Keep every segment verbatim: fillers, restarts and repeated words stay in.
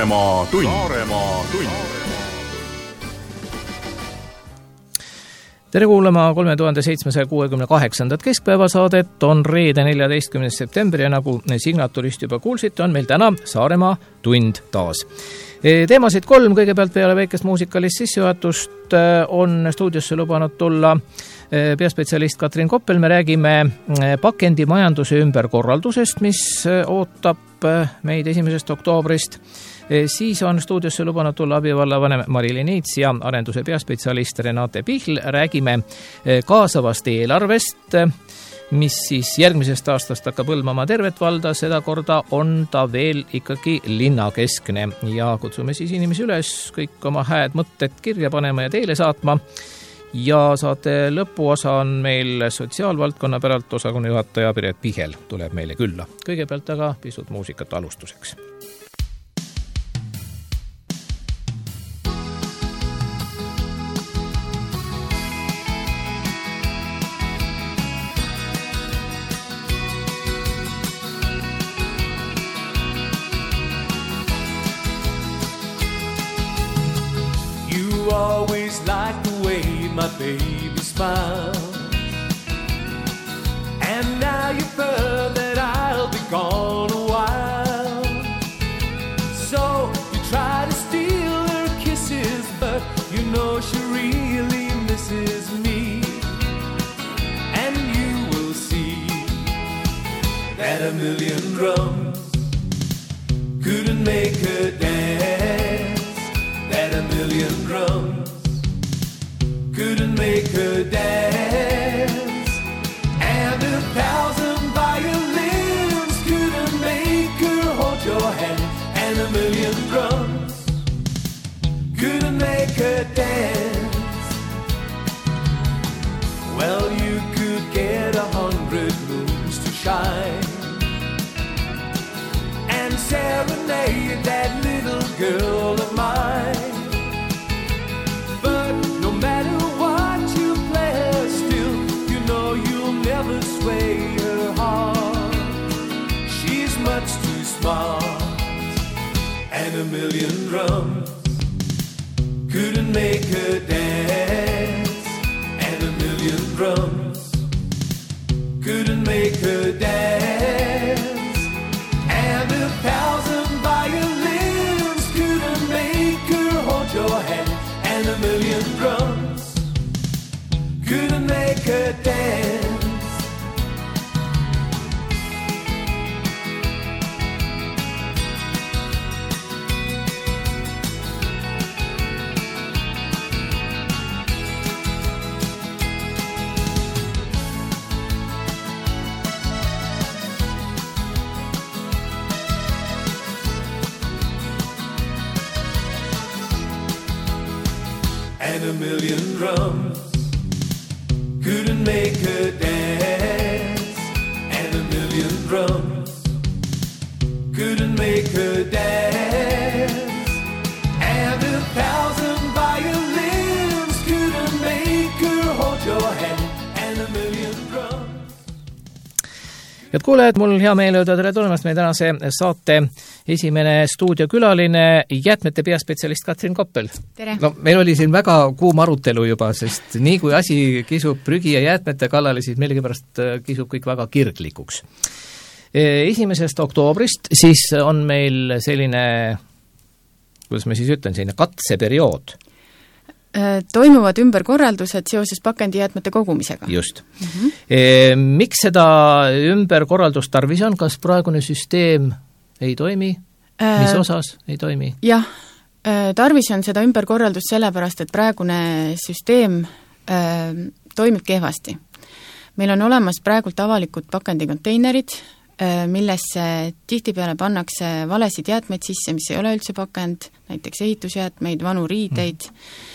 Saaremaa tund. Saaremaa tund. Tere kuulama kolme tuhande seitsmesaja kuuekümne kaheksandat keskpäevasaadet, on reede neljateistkümnes september ja nagu signatulist juba kuulsite, on meil täna Saaremaa tund taas. Teemasid kolm, kõigepealt peale väikest muusikalist sissejuhatust on stuudiosse lubanud tulla peaspetsialist Katrin Koppel. Me räägime pakendimajanduse ümberkorraldusest, mis ootab meid esimesest oktoobrist. Siis on stuudiosse lubanud tulla abivallavanem Mari-Liin Niits ja arenduse peaspetsialist Renate Pihl. Räägime kaasavast eelarvest, mis siis järgmisest aastast hakkab hõlmama tervet valda, seda korda on ta veel ikkagi linnakeskne ja kutsume siis inimesi üles kõik oma hääd mõtted kirja panema ja teile saatma. Ja saate lõpuosa on meil sotsiaalvaldkonna päralt osakonna juhataja Piret Pihel tuleb meile külla. Kõigepealt aga pisut muusikat alustuseks. Always like the way my baby smiles, and now you've heard that I'll be gone a while. So you try to steal her kisses, but you know she really misses me. And you will see that a million drums couldn't make her dance, that a million drums couldn't make her dance, and a thousand violins couldn't make her hold your hand, and a million drums couldn't make her dance. Well, you could get a hundred moons to shine and serenade that little girl of mine, but no matter what you play her still, you know you'll never sway her heart. She's much too smart, and a million drums couldn't make her dance, and a million drums couldn't make her dance, and a thousand violins couldn't make her hold your hand, and a million drums couldn't make her dance. And a million drums couldn't make her dance, and a million drums couldn't make her dance, and a thousand violins couldn't make her hold your hand, and a million drums. Head kuulajad, mul hea meel öelda tere tulemast meie tänase saate esimene stuudiokülaline, jäätmete peaspetsialist Katrin Koppel. Tere. No, meil oli siin väga kuum arutelu juba, sest nii kui asi kisub prügi ja jäätmete kallale, siis millegipärast kisub kõik väga kirglikuks. Esimesest oktoobrist siis on meil selline, kuidas ma siis ütlen, selline katseperiood. Toimuvad ümberkorraldused seoses pakendijäätmete kogumisega. Just. Mm-hmm. E, miks seda ümberkorraldust tarvis on? Kas praegune süsteem ei toimi? Mis osas ei toimi? Jah, tarvis on seda ümberkorraldust sellepärast, et praegune süsteem äh, toimib kehvasti. Meil on olemas praegult avalikud pakendikonteinerid, äh, millesse tihtipeale pannakse valesid jäätmeid sisse, mis ei ole üldse pakend, näiteks ehitusjäätmeid, vanu riideid. Mm.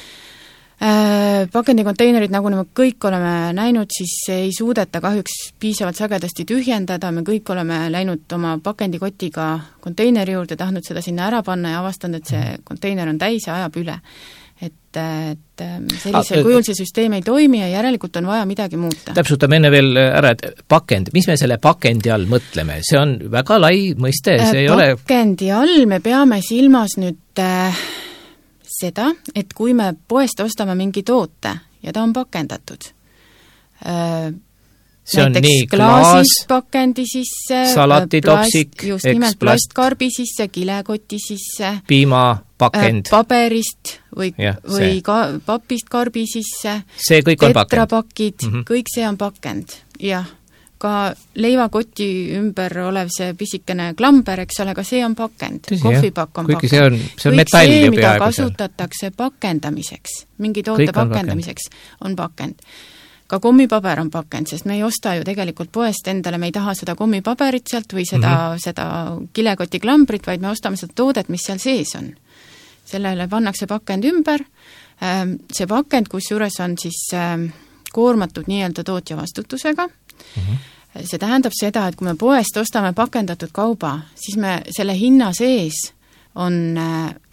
Pakendikonteinerid, nagu me kõik oleme näinud, siis ei suudeta kahjuks piisavalt sagedasti tühjendada, me kõik oleme läinud oma pakendikotiga konteineri juurde, tahtnud seda sinna ära panna ja avastanud, et see konteiner on täis ja ajab üle. et, et sellisel ah, kujul see süsteem ei toimi ja järelikult on vaja midagi muuta. Täpsutame enne veel ära, et pakend, mis me selle pakendi all mõtleme? See on väga lai mõiste, see ei ole... Pakendi all me peame silmas nüüd äh, seda, et kui me poest ostame mingi toote ja ta on pakendatud, äh, see on näiteks nii klaas, pakendi sisse, salatitopsik, plast, just nimelt plastkarbi sisse, kilekoti sisse, piimapakend, paberist või, ja, või ka, papist karbi sisse, see kõik on pakend. Tetrapakid, mm -hmm. kõik see on pakend, jah. Ka leivakoti ümber olev see pisikene klamber, eks ole, ka see on pakend. Kohvipakk on Kuigi pakend. See on, see on kõik metall see, ju mida peaaegu kasutatakse pakendamiseks, mingi toote on pakendamiseks, pakend. on pakend. Ka kommipaber on pakend, sest me ei osta ju tegelikult poest endale, me ei taha seda kommipaberit sealt või seda, mm -hmm. seda kilekoti klambrit, vaid me ostame seda toodet, mis seal sees on. Sellele pannakse pakend ümber, see pakend, kus juures on siis koormatud nii-öelda tootja vastutusega, mm -hmm. see tähendab seda, et kui me poest ostame pakendatud kauba, siis me selle hinna sees on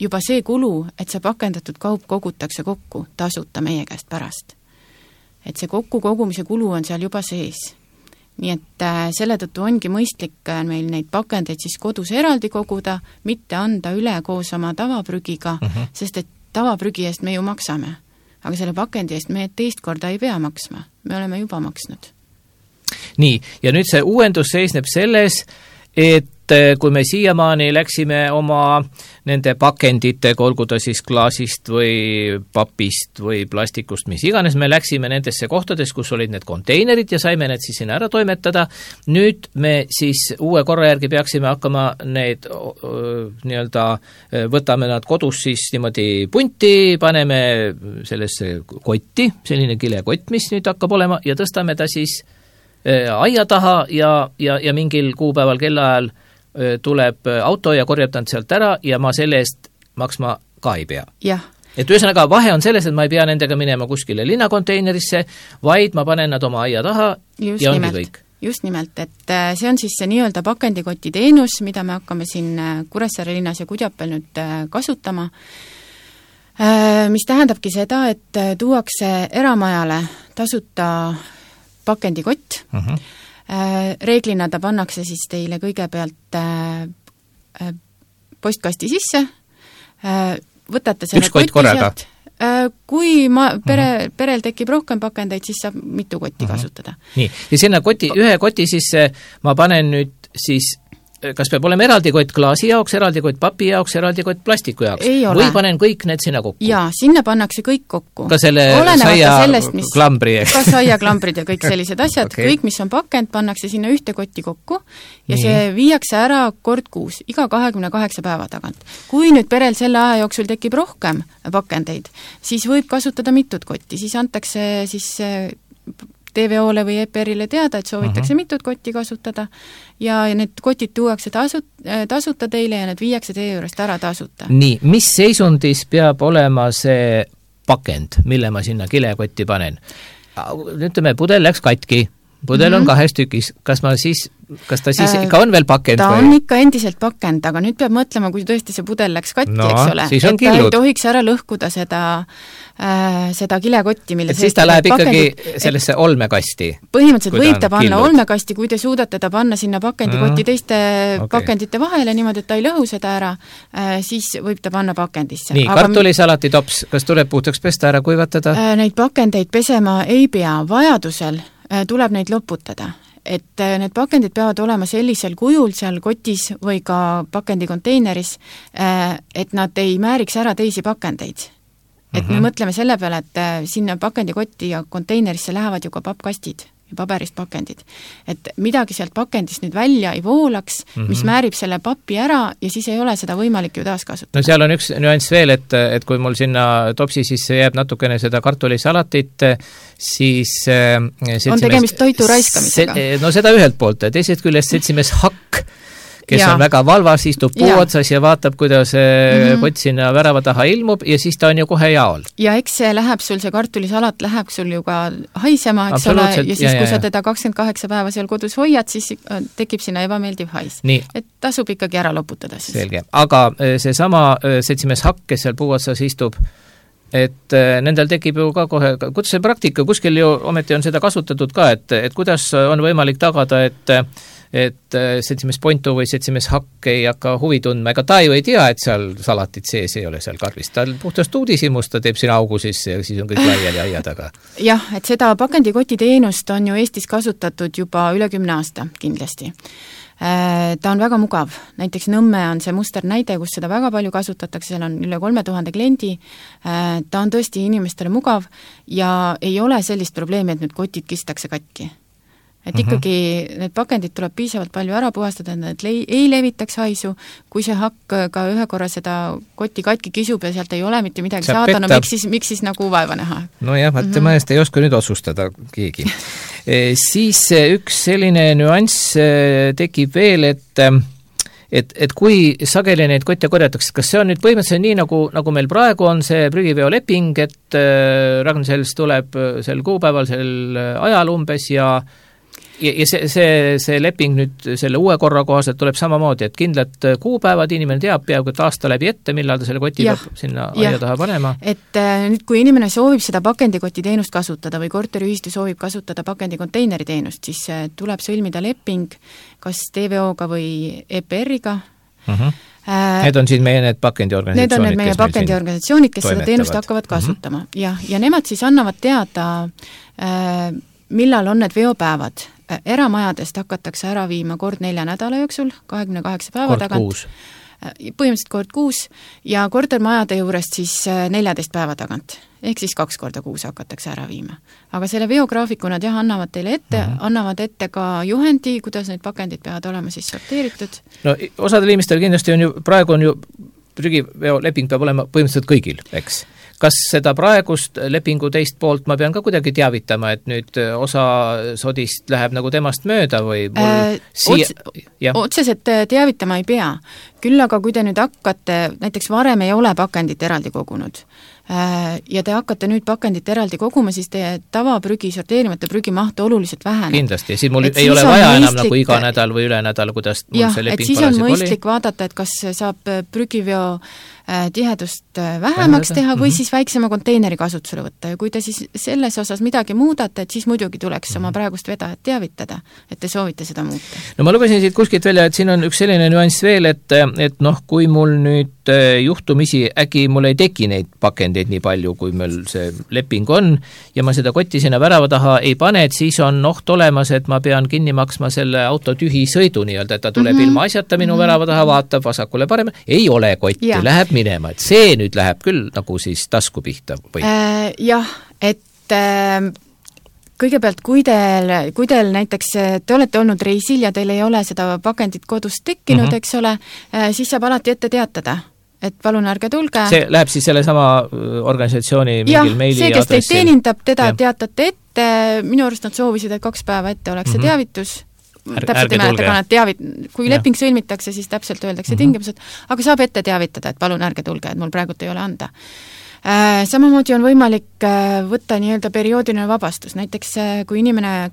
juba see kulu, et see pakendatud kaup kogutakse kokku tasuta meie käest pärast. Et see kokku kogumise kulu on seal juba sees. Nii et äh, selle tõttu ongi mõistlik äh, meil neid pakendeid siis kodus eraldi koguda, mitte anda üle koos oma tavaprügiga, uh -huh. sest et tavaprügi eest me ju maksame. Aga selle pakendi eest me teist korda ei pea maksma. Me oleme juba maksnud. Nii, ja nüüd see uuendus seisneb selles, et kui me siiamaani läksime oma nende pakenditega, olgu ta siis klaasist või papist või plastikust, mis iganes, me läksime nendesse kohtades, kus olid need konteinerid ja saime need siis sinna ära toimetada. Nüüd me siis uue korra järgi peaksime hakkama need nii-öelda, võtame nad kodus siis niimoodi punti, paneme sellesse kotti, selline kilekott, mis nüüd hakkab olema, ja tõstame ta siis aia taha ja, ja, ja mingil kuupäeval kellaajal tuleb auto ja korjab ta sealt ära ja ma selle eest maksma ka ei pea. Jah. Et ühesõnaga vahe on selles, et ma ei pea nendega minema kuskile linnakonteinerisse, vaid ma panen nad oma aia taha just ja ongi nimelt, kõik. Just nimelt, et see on siis see nii-öelda pakendikoti teenus, mida me hakkame siin Kuressaare linnas ja Kudjapel nüüd kasutama, mis tähendabki seda, et tuuakse eramajale tasuta pakendikott, uh -huh. reeglina ta pannakse siis teile kõigepealt postkasti sisse, võtate selle üks kott korraga? Kui ma, pere, perel tekib rohkem pakendeid, siis saab mitu kotti uh -huh. kasutada. Nii, ja sinna koti, ühe koti sisse ma panen nüüd siis kas peab olema eraldi kott klaasi jaoks, eraldi kott papi jaoks, eraldi kott plastiku jaoks? Või panen kõik need sinna kokku? Jaa, sinna pannakse kõik kokku. Ka selle saia klambri? Ka saia klambrid ja kõik sellised asjad, okay. Kõik, mis on pakend, pannakse sinna ühte kotti kokku ja Nii. see viiakse ära kord kuus, iga kahekümne kaheksa päeva tagant. Kui nüüd perel selle aja jooksul tekib rohkem pakendeid, siis võib kasutada mitut kotti, siis antakse siis T V O-le või E P R-ile teada, et soovitakse uh -huh. mitut kotti kasutada ja need kotid tuuakse tasu, tasuta teile ja need viiakse teie juurest ära tasuta. Nii, mis seisundis peab olema see pakend, mille ma sinna kilekotti panen? Ütleme, pudel läks katki, pudel mm -hmm. on kahes tükis, kas ma siis, kas ta siis äh, ikka on veel pakend? Ta või? on ikka endiselt pakend, aga nüüd peab mõtlema, kui tõesti see pudel läks katki, no, eks ole, et killud. ta ei tohiks ära lõhkuda seda äh, seda kilekotti, mille et siis ta läheb ikkagi sellesse olmekasti? Põhimõtteliselt võib ta panna killud. olmekasti, kui te suudate ta panna sinna pakendikotti mm. teiste okay. pakendite vahele, niimoodi, et ta ei lõhu seda ära, äh, siis võib ta panna pakendisse. Nii, aga kartulisalati tops, kas tuleb puhtaks pesta ära kuivatada? Äh, neid pakendeid pesema ei pea, vajadusel äh, tuleb neid loputada. Et need pakendid peavad olema sellisel kujul seal kotis või ka pakendikonteineris, et nad ei määriks ära teisi pakendeid. Et mm-hmm. me mõtleme selle peale, et sinna pakendikotti ja konteinerisse lähevad ju ka pappkastid ja paberist pakendid. Et midagi sealt pakendist nüüd välja ei voolaks, mm-hmm. mis määrib selle papi ära ja siis ei ole seda võimalik ju taaskasutada. No seal on üks nüanss veel, et, et kui mul sinna topsi sisse jääb natukene seda kartulisalatit, siis on tegemist toitu raiskamisega. No seda ühelt poolt, teisest küljest seltsimees Hakk, kes ja. on väga valvas, istub puu ja. otsas ja vaatab, kuidas mm-hmm. kott sinna värava taha ilmub ja siis ta on ju kohe jaol. Ja eks see läheb sul, see kartulisalat läheb sul ju ka haisema, eks ole, ja siis ja, kui ja, sa teda kakskümmend kaheksa päeva seal kodus hoiad, siis tekib sinna ebameeldiv hais. Nii. Et tasub ikkagi ära loputada siis. Selge. Aga see sama seltsimees Hakk, kes seal puu otsas istub, et nendel tekib ju ka kohe, kuidas see praktika, kuskil ju ometi on seda kasutatud ka, et, et kuidas on võimalik tagada, et et seltsimees Pontu või seltsimees Hakk ei hakka huvi tundma, ega ta ju ei tea, et seal salatit sees ei ole seal karvis, ta puhtast uudishimus, ta teeb sinna augu sisse ja siis on kõik laiali aia taga. Jah, et seda pakendikoti teenust on ju Eestis kasutatud juba üle kümne aasta kindlasti. Ta on väga mugav, näiteks Nõmme on see muster näide, kus seda väga palju kasutatakse, seal on üle kolme tuhande kliendi, ta on tõesti inimestele mugav ja ei ole sellist probleemi, et nüüd kotid kistakse katki. Et ikkagi need pakendid tuleb piisavalt palju ära puhastada, et need le- ei levitaks haisu, kui see Hakk ka ühe korra seda kotti katki kisub ja sealt ei ole mitte midagi Saab saada, no petta. miks siis, miks siis nagu vaeva näha? No jah, vaat tema eest ei oska nüüd otsustada keegi. E, siis üks selline nüanss tekib veel, et et, et kui sageli neid kotte korjatakse, kas see on nüüd põhimõtteliselt nii, nagu, nagu meil praegu on see prügiveoleping, et Ragn-Sells tuleb sel kuupäeval, sel ajal umbes ja ja, ja see, see, see leping nüüd selle uue korra kohaselt tuleb samamoodi, et kindlad kuupäevad, inimene teab peaaegu et aasta läbi ette, millal ta selle koti ja, peab sinna aia taha panema. Et äh, nüüd, kui inimene soovib seda pakendikoti teenust kasutada või korteriühistu soovib kasutada pakendikonteineri teenust, siis äh, tuleb sõlmida leping kas T V O-ga või E P R-iga. Uh-huh. Äh, need on siis meie need pakendiorganisatsioonid, need on need meie pakendiorganisatsioonid, kes toimetavad. Seda teenust hakkavad kasutama. Uh-huh. Ja, ja nemad siis annavad teada, äh, millal on need veopäevad. Eramajadest hakatakse ära viima kord nelja nädala jooksul, kahekümne kaheksa päeva kord tagant. Kuus. Põhimõtteliselt kord kuus ja kortermajade juurest siis neljateist päeva tagant. Ehk siis kaks korda kuus hakatakse ära viima. Aga selle veograafiku nad jah, annavad teile ette, mm -hmm. annavad ette ka juhendi, kuidas need pakendid peavad olema siis sorteeritud. No osadel inimestel kindlasti on ju, praegu on ju prügiveoleping peab olema põhimõtteliselt kõigil, eks? Kas seda praegust lepingu teist poolt ma pean ka kuidagi teavitama, et nüüd osa sodist läheb nagu temast mööda või mul äh, siia... Ots, otseselt teavitama ei pea. Küll aga kui te nüüd hakkate, näiteks varem ei ole pakendit eraldi kogunud ja te hakkate nüüd pakendit eraldi koguma, siis teie tavaprügi, sorteerimata prügi maht oluliselt väheneb. Kindlasti, ja siis mul et ei siis ole vaja mõistlik... enam nagu iga nädal või üle nädal, kuidas mul jah, see leping siis on mõistlik oli. Vaadata, et kas saab prügiveo tihedust vähemaks teha või mm -hmm. siis väiksema konteineri kasutusele võtta ja kui te siis selles osas midagi muudate, et siis muidugi tuleks mm -hmm. oma praegust vedajat teavitada, et te soovite seda muuta. No ma lugesin siit kuskilt välja, et siin on üks selline nüanss veel, et, et noh, kui mul nüüd juhtumisi äkki mul ei teki neid pakendeid nii palju, kui meil see leping on ja ma seda kotti sinna värava taha ei pane, et siis on oht olemas, et ma pean kinni maksma selle auto tühi sõidu nii-öelda, et ta tuleb mm -hmm. ilma asjata minu mm -hmm. värava taha, vaatab vasakule parem, ei ole kotti, ja. Läheb minema, et see nüüd läheb küll nagu siis tasku pihta või? Äh, jah, et äh, kõigepealt, kui teil, kui teil näiteks te olete olnud reisil ja teil ei ole seda pakendit kodust tekkinud, mm -hmm. eks ole, äh, siis saab alati ette teatada, et palun ärge tulge. See läheb siis selle sama organisatsiooni mingil ja, meili see, kes adressil. teid teenindab, teda ja. Teatate ette, minu arust nad soovisid, et kaks päeva ette oleks mm -hmm. see teavitus, Ärge, täpselt ei mäleta, aga nad teavit-, kui ja. leping sõlmitakse, siis täpselt öeldakse mm -hmm. tingimused, aga saab ette teavitada, et palun ärge tulge, et mul praegult ei ole anda. Äh, samamoodi on võimalik äh, võtta nii-öelda perioodiline vabastus, näiteks äh, kui inimene äh,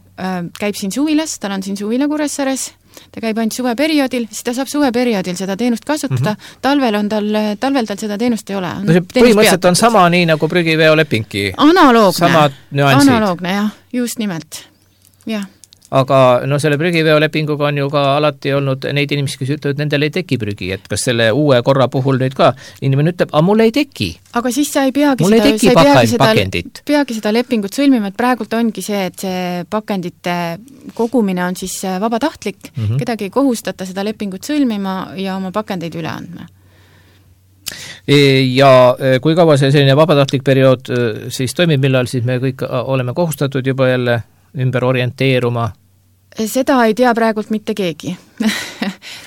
käib siin suvilas, tal on siin suvila Kuressaares, ta käib ainult suveperioodil, siis ta saab suveperioodil seda teenust kasutada, mm -hmm. talvel on tal, talvel tal seda teenust ei ole. No see põhimõtteliselt on sama nii nagu prügiveolepingi. Analoogne, nüansid. analoogne jah, just nimelt, jah. Aga no selle prügiveolepinguga on ju ka alati olnud neid inimesi, kes ütlevad, et nendel ei teki prügi, et kas selle uue korra puhul nüüd ka inimene ütleb, aga mul ei teki. Aga siis sa ei peagi, mul seda, ei teki sa ei peagi, seda, pakendit. peagi seda lepingut sõlmima, et praegult ongi see, et see pakendite kogumine on siis vabatahtlik, mm -hmm. kedagi ei kohustata seda lepingut sõlmima ja oma pakendeid üle andma. Ja kui kaua see selline vabatahtlik periood siis toimib, millal siis me kõik oleme kohustatud juba jälle ümber orienteeruma? Seda ei tea praegult mitte keegi.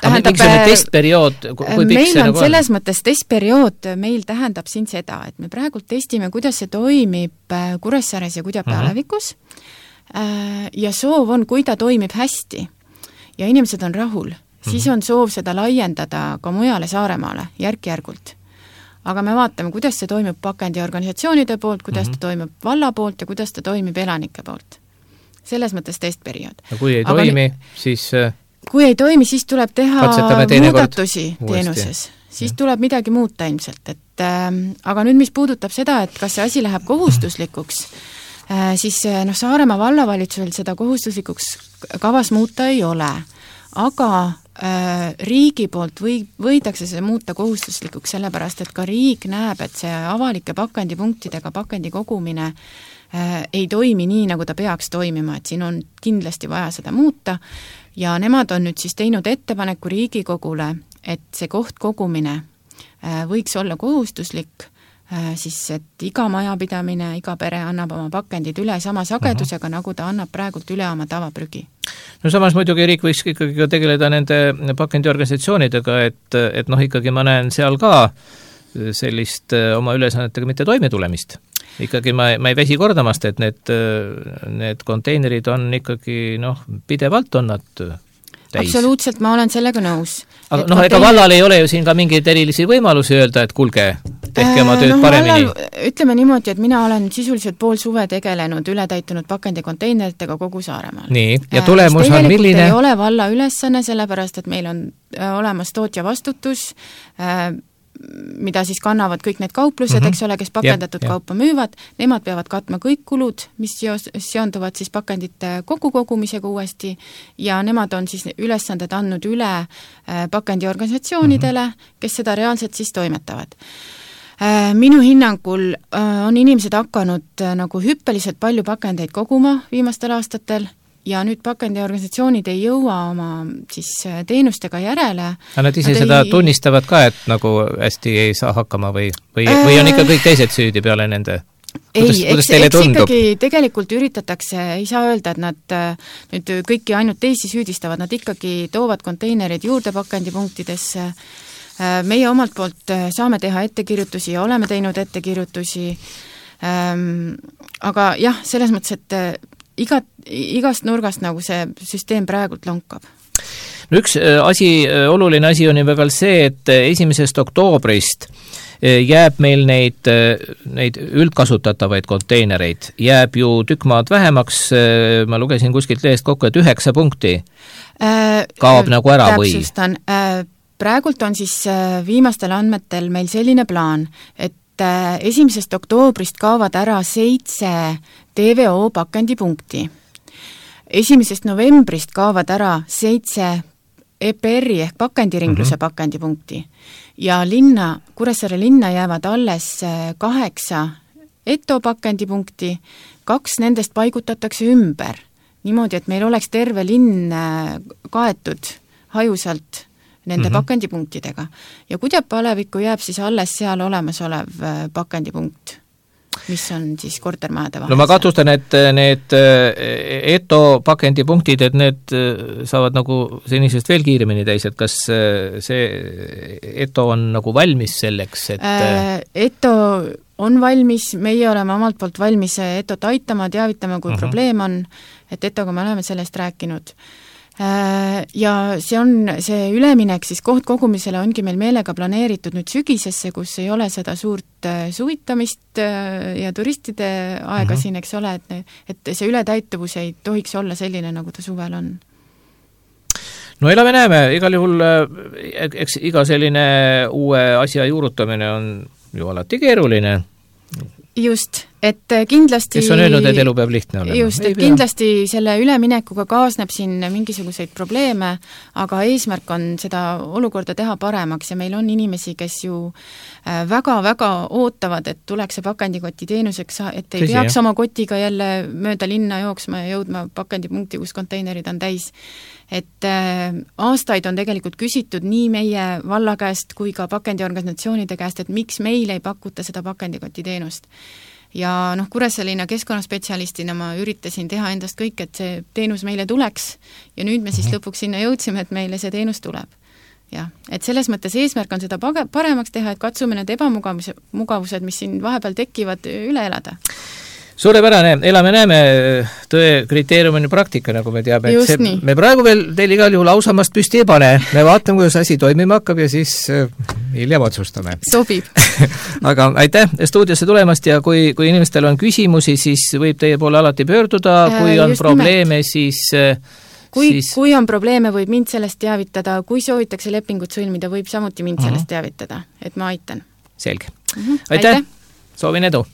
Tähendab, mingisugune testperiood, kui pikk meil see on nagu selles mõttes testperiood, meil tähendab siin seda, et me praegult testime, kuidas see toimib Kuressaares ja Kudja-Pealevikus uh-huh. ja soov on, kui ta toimib hästi ja inimesed on rahul, uh-huh. siis on soov seda laiendada ka mujale Saaremaale järk-järgult. Aga me vaatame, kuidas see toimub pakendiorganisatsioonide poolt, kuidas mm-hmm. ta toimub valla poolt ja kuidas ta toimib elanike poolt. Selles mõttes testperiood. Ja kui ei Aga toimi, ni- siis... Kui ei toimi, siis tuleb teha muudatusi teenuses. Siis ja. tuleb midagi muuta ilmselt, et aga nüüd, mis puudutab seda, et kas see asi läheb kohustuslikuks, siis noh, Saaremaa vallavalitsusel seda kohustuslikuks kavas muuta ei ole, aga riigi poolt või, võidakse see muuta kohustuslikuks, sellepärast et ka riik näeb, et see avalike pakendipunktidega pakendi kogumine ei toimi nii, nagu ta peaks toimima, et siin on kindlasti vaja seda muuta ja nemad on nüüd siis teinud ettepaneku Riigikogule, et see koht kogumine võiks olla kohustuslik, siis et iga majapidamine, iga pere annab oma pakendid üle sama sagedusega, uh-huh. nagu ta annab praegult üle oma tavaprügi. No samas muidugi riik võiks ikkagi ka tegeleda nende pakendiorganisatsioonidega, et, et noh, ikkagi ma näen seal ka sellist oma ülesannetega mitte toime tulemist. Ikkagi ma, ma ei väsi kordamast, et need, need konteinerid on ikkagi noh, pidevalt on nad täis. Absoluutselt, ma olen sellega nõus. Aga noh, ega vallal ei ole ju siin ka mingeid erilisi võimalusi öelda, et kuulge, tehke oma tööd no, paremini. Vallal, ütleme niimoodi, et mina olen sisuliselt pool suve tegelenud ületäitunud pakendikonteineritega kogu Saaremaal. Nii, ja tulemus on milline? Ei ole valla ülesanne, sellepärast, et meil on olemas tootja vastutus, mida siis kannavad kõik need kauplused, mm-hmm. eks ole, kes pakendatud ja, kaupa müüvad, nemad peavad katma kõik kulud, mis seonduvad siis pakendite kokkukogumisega uuesti ja nemad on siis ülesanded andnud üle pakendiorganisatsioonidele, mm-hmm. kes seda reaalselt siis toimetavad. Minu hinnangul on inimesed hakanud nagu hüppeliselt palju pakendeid koguma viimastel aastatel, ja nüüd pakendiorganisatsioonid ei jõua oma siis teenustega järele. Aga nad ise nad seda ei... tunnistavad ka, et nagu hästi ei saa hakkama või, või, äh... või on ikka kõik teised süüdi peale nende? Kuidas, ei, eks, eks ikkagi tegelikult üritatakse, ei saa öelda, et nad nüüd kõiki ainult teisi süüdistavad, nad ikkagi toovad konteinerid juurde pakendipunktidesse. Meie omalt poolt saame teha ettekirjutusi ja oleme teinud ettekirjutusi, aga jah, selles mõttes, et Iga, igast nurgast nagu see süsteem praegult lonkab. No üks asi, oluline asi on juba veel see, et esimesest oktoobrist jääb meil neid, neid üldkasutatavaid konteinereid, jääb ju tükk maad vähemaks, ma lugesin kuskilt lehest kokku, et üheksa punkti kaob äh, nagu ära või? Täpsustan, praegult on siis viimastel andmetel meil selline plaan, et esimesest oktoobrist kaovad ära seitse T V O pakendipunkti. Esimesest novembrist kaovad ära seitse E P R-i ehk pakendiringluse mm-hmm. pakendipunkti ja linna, Kuressaare linna jäävad alles kaheksa E T O pakendipunkti, kaks nendest paigutatakse ümber. Niimoodi, et meil oleks terve linn kaetud hajusalt nende mm-hmm. pakendipunktidega. Ja Kudjapalevikku jääb siis alles seal olemasolev pakendipunkt, mis on siis kortermajade vahel. No ma katustan, et need E T O pakendipunktid, et need saavad nagu senisest veel kiiremini täis, et kas see E T O on nagu valmis selleks, et E T O on valmis, meie oleme omalt poolt valmis E T O-t aitama, teavitama, kui mm-hmm. probleem on, et E T O-ga me oleme sellest rääkinud. Ja see on, see üleminek siis koht kogumisele ongi meil meelega planeeritud nüüd sügisesse, kus ei ole seda suurt suvitamist ja turistide aega mm-hmm. siin, eks ole, et, et see ületäituvus ei tohiks olla selline, nagu ta suvel on. No elame näeme, igal juhul, eks iga selline uue asja juurutamine on ju alati keeruline. Just, et kindlasti kes on öelnud, et elu peab lihtne olema? Just, et kindlasti selle üleminekuga kaasneb siin mingisuguseid probleeme, aga eesmärk on seda olukorda teha paremaks ja meil on inimesi, kes ju väga-väga ootavad, et tuleks see pakendikoti teenuseks, et ei Tõsi, peaks jah. Oma kotiga jälle mööda linna jooksma ja jõudma pakendipunkti, kus konteinerid on täis. Et äh, aastaid on tegelikult küsitud nii meie valla käest kui ka pakendiorganisatsioonide käest, et miks meil ei pakuta seda pakendikoti teenust. Ja noh, Kuressaare keskkonnaspetsialistina ma üritasin teha endast kõik, et see teenus meile tuleks ja nüüd me siis lõpuks sinna jõudsime, et meile see teenus tuleb. Jah, et selles mõttes eesmärk on seda paremaks teha, et katsume need ebamugavused, mugavused, mis siin vahepeal tekivad, üle elada. Suurepärane, elame-näeme, tõe kriteeriumine praktika, nagu me teame. Just see, nii. Me praegu veel teil igal juhul ausamast püsti ei pane. Me vaatame, kuidas asi toimima hakkab ja siis hiljem otsustame. Sobib. Aga aitäh stuudiosse tulemast ja kui, kui inimestel on küsimusi, siis võib teie poole alati pöörduda. Kui on Just probleeme, nimelt. siis... Kui, siis... kui on probleeme, võib mind sellest teavitada. Kui soovitakse lepingut sõlmida, võib samuti mind uh-huh. sellest teavitada, et ma aitan. Selge. Mm-hmm. aitäh, aitäh., soovin edu!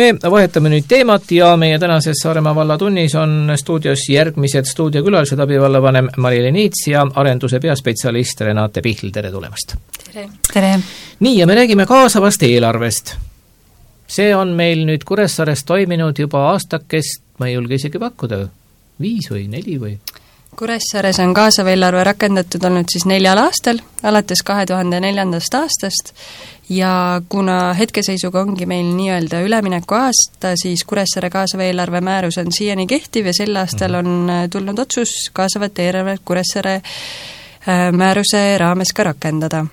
Me vahetame nüüd teemat ja meie tänases Saaremaa vallatunnis on stuudios järgmised stuudiokülalised, abivallavanem Mari-Elen Niits ja arenduse peaspetsialist Renate Pihl, tere tulemast! Tere! Tere! Nii, ja me räägime kaasavast eelarvest. See on meil nüüd Kuressaares toiminud juba aastakest, ma ei julge isegi pakkuda, viis või neli või? Kuressaares on kaasav eelarve rakendatud olnud siis neljal aastal, alates kahe tuhande neljandast aastast, ja kuna hetkeseisuga ongi meil nii-öelda ülemineku aasta, siis Kuressaare kaasava eelarve määrus on siiani kehtiv ja sel aastal on tulnud otsus kaasavat eelarvet Kuressaare määruse raames ka rakendada.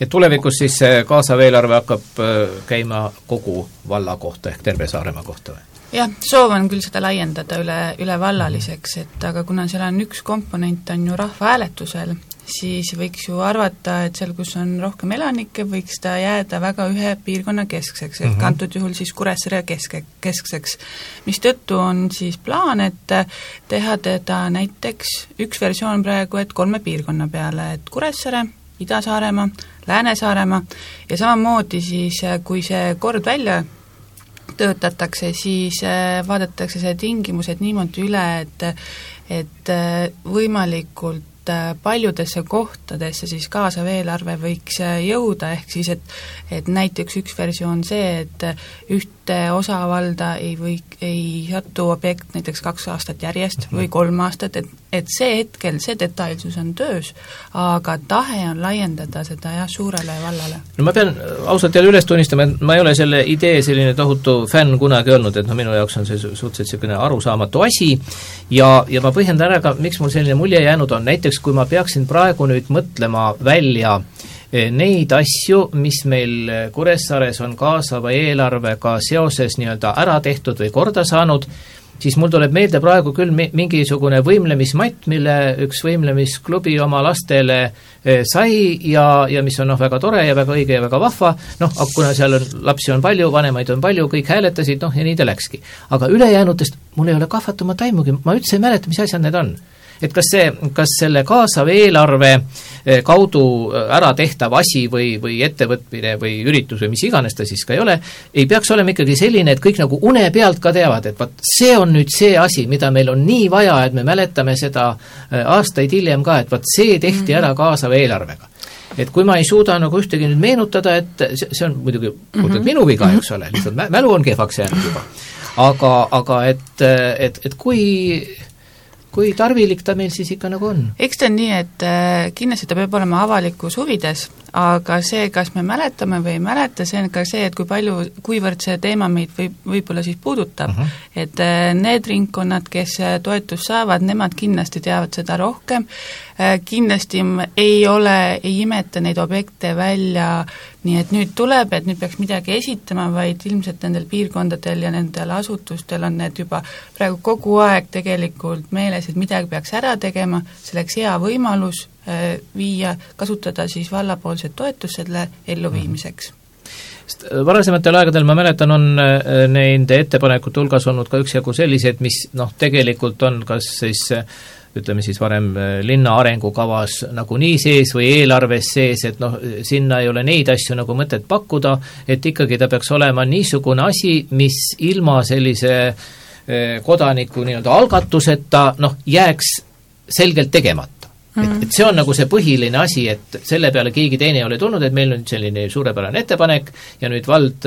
Et tulevikus siis kaasav eelarve hakkab käima kogu valla kohta ehk terve Saaremaa kohta või? Jah, soov on küll seda laiendada üle, üle vallaliseks, et aga kuna seal on üks komponent on ju rahvahääletusel, siis võiks ju arvata, et seal, kus on rohkem elanikke, võiks ta jääda väga ühe piirkonna keskseks, ehk mm -hmm. antud juhul siis Kuressaare keske, keskseks. Mistõttu on siis plaan, et teha teda näiteks üks versioon praegu, et kolme piirkonna peale, et Kuressaare, Ida-Saaremaa, Lääne-Saaremaa ja samamoodi siis, kui see kord välja töötatakse, siis vaadatakse see tingimused niimoodi üle, et, et võimalikult paljudesse kohtadesse siis kaasav eelarve võiks jõuda, ehk siis, et, et näiteks üks versioon see, et ühte osavalda ei või, ei satu objekt näiteks kaks aastat järjest või kolm aastat, et, et see hetkel, see detailsus on töös, aga tahe on laiendada seda jah, suurele vallale. No ma pean ausalt jälle üles tunnistama, et ma ei ole selle idee selline tohutu fänn kunagi olnud, et no minu jaoks on see suhteliselt selline arusaamatu asi ja, ja ma põhjendan ära ka, miks mul selline mulje jäänud on, näiteks kui ma peaksin praegu nüüd mõtlema välja neid asju, mis meil Kuressaares on kaasava eelarvega seoses nii-öelda ära tehtud või korda saanud, siis mul tuleb meelde praegu küll mingisugune võimlemismatt, mille üks võimlemisklubi oma lastele sai ja, ja mis on noh, väga tore ja väga õige ja väga vahva, noh, kuna seal on, lapsi on palju, vanemaid on palju, kõik hääletasid, noh, ja nii ta läkski. Aga ülejäänutest mul ei ole kahvatumat aimugi, ma üldse ei mäleta, mis asjad need on. Et kas see, kas selle kaasav eelarve kaudu ära tehtav asi või, või ettevõtmine või üritus või mis iganes ta siis ka ei ole, ei peaks olema ikkagi selline, et kõik nagu une pealt ka teavad, et vaat see on nüüd see asi, mida meil on nii vaja, et me mäletame seda aastaid hiljem ka, et vaat see tehti ära kaasava eelarvega. Et kui ma ei suuda nagu ühtegi nüüd meenutada, et see on muidugi mm-hmm. minu viga, eks ole, lihtsalt mälu on kehvaks jäänud juba. Aga, aga et, et, et kui kui tarvilik ta meil siis ikka nagu on? Eks ta on nii, et kindlasti ta peab olema avalikus huvides, aga see, kas me mäletame või ei mäleta, see on ka see, et kui palju, kuivõrd see teema meid võib, võib-olla siis puudutab, uh-huh. et need ringkonnad, kes toetust saavad, nemad kindlasti teavad seda rohkem, kindlasti ei ole, ei imeta neid objekte välja nii, et nüüd tuleb, et nüüd peaks midagi esitama, vaid ilmselt nendel piirkondadel ja nendel asutustel on need juba praegu kogu aeg tegelikult meeles, et midagi peaks ära tegema, selleks hea võimalus äh, viia, kasutada siis vallapoolset toetust selle elluviimiseks. Varasematel aegadel ma mäletan, on nende ettepanekute hulgas olnud ka üksjagu sellised, mis noh, tegelikult on kas siis ütleme siis varem linna arengukavas nagu nii sees või eelarves sees, et noh, sinna ei ole neid asju nagu mõtet pakkuda, et ikkagi ta peaks olema niisugune asi, mis ilma sellise kodaniku nii-öelda algatuseta noh, jääks selgelt tegemata. Mm-hmm. Et, et see on nagu see põhiline asi, et selle peale keegi teine ei ole tulnud, et meil on selline suurepärane ettepanek ja nüüd vald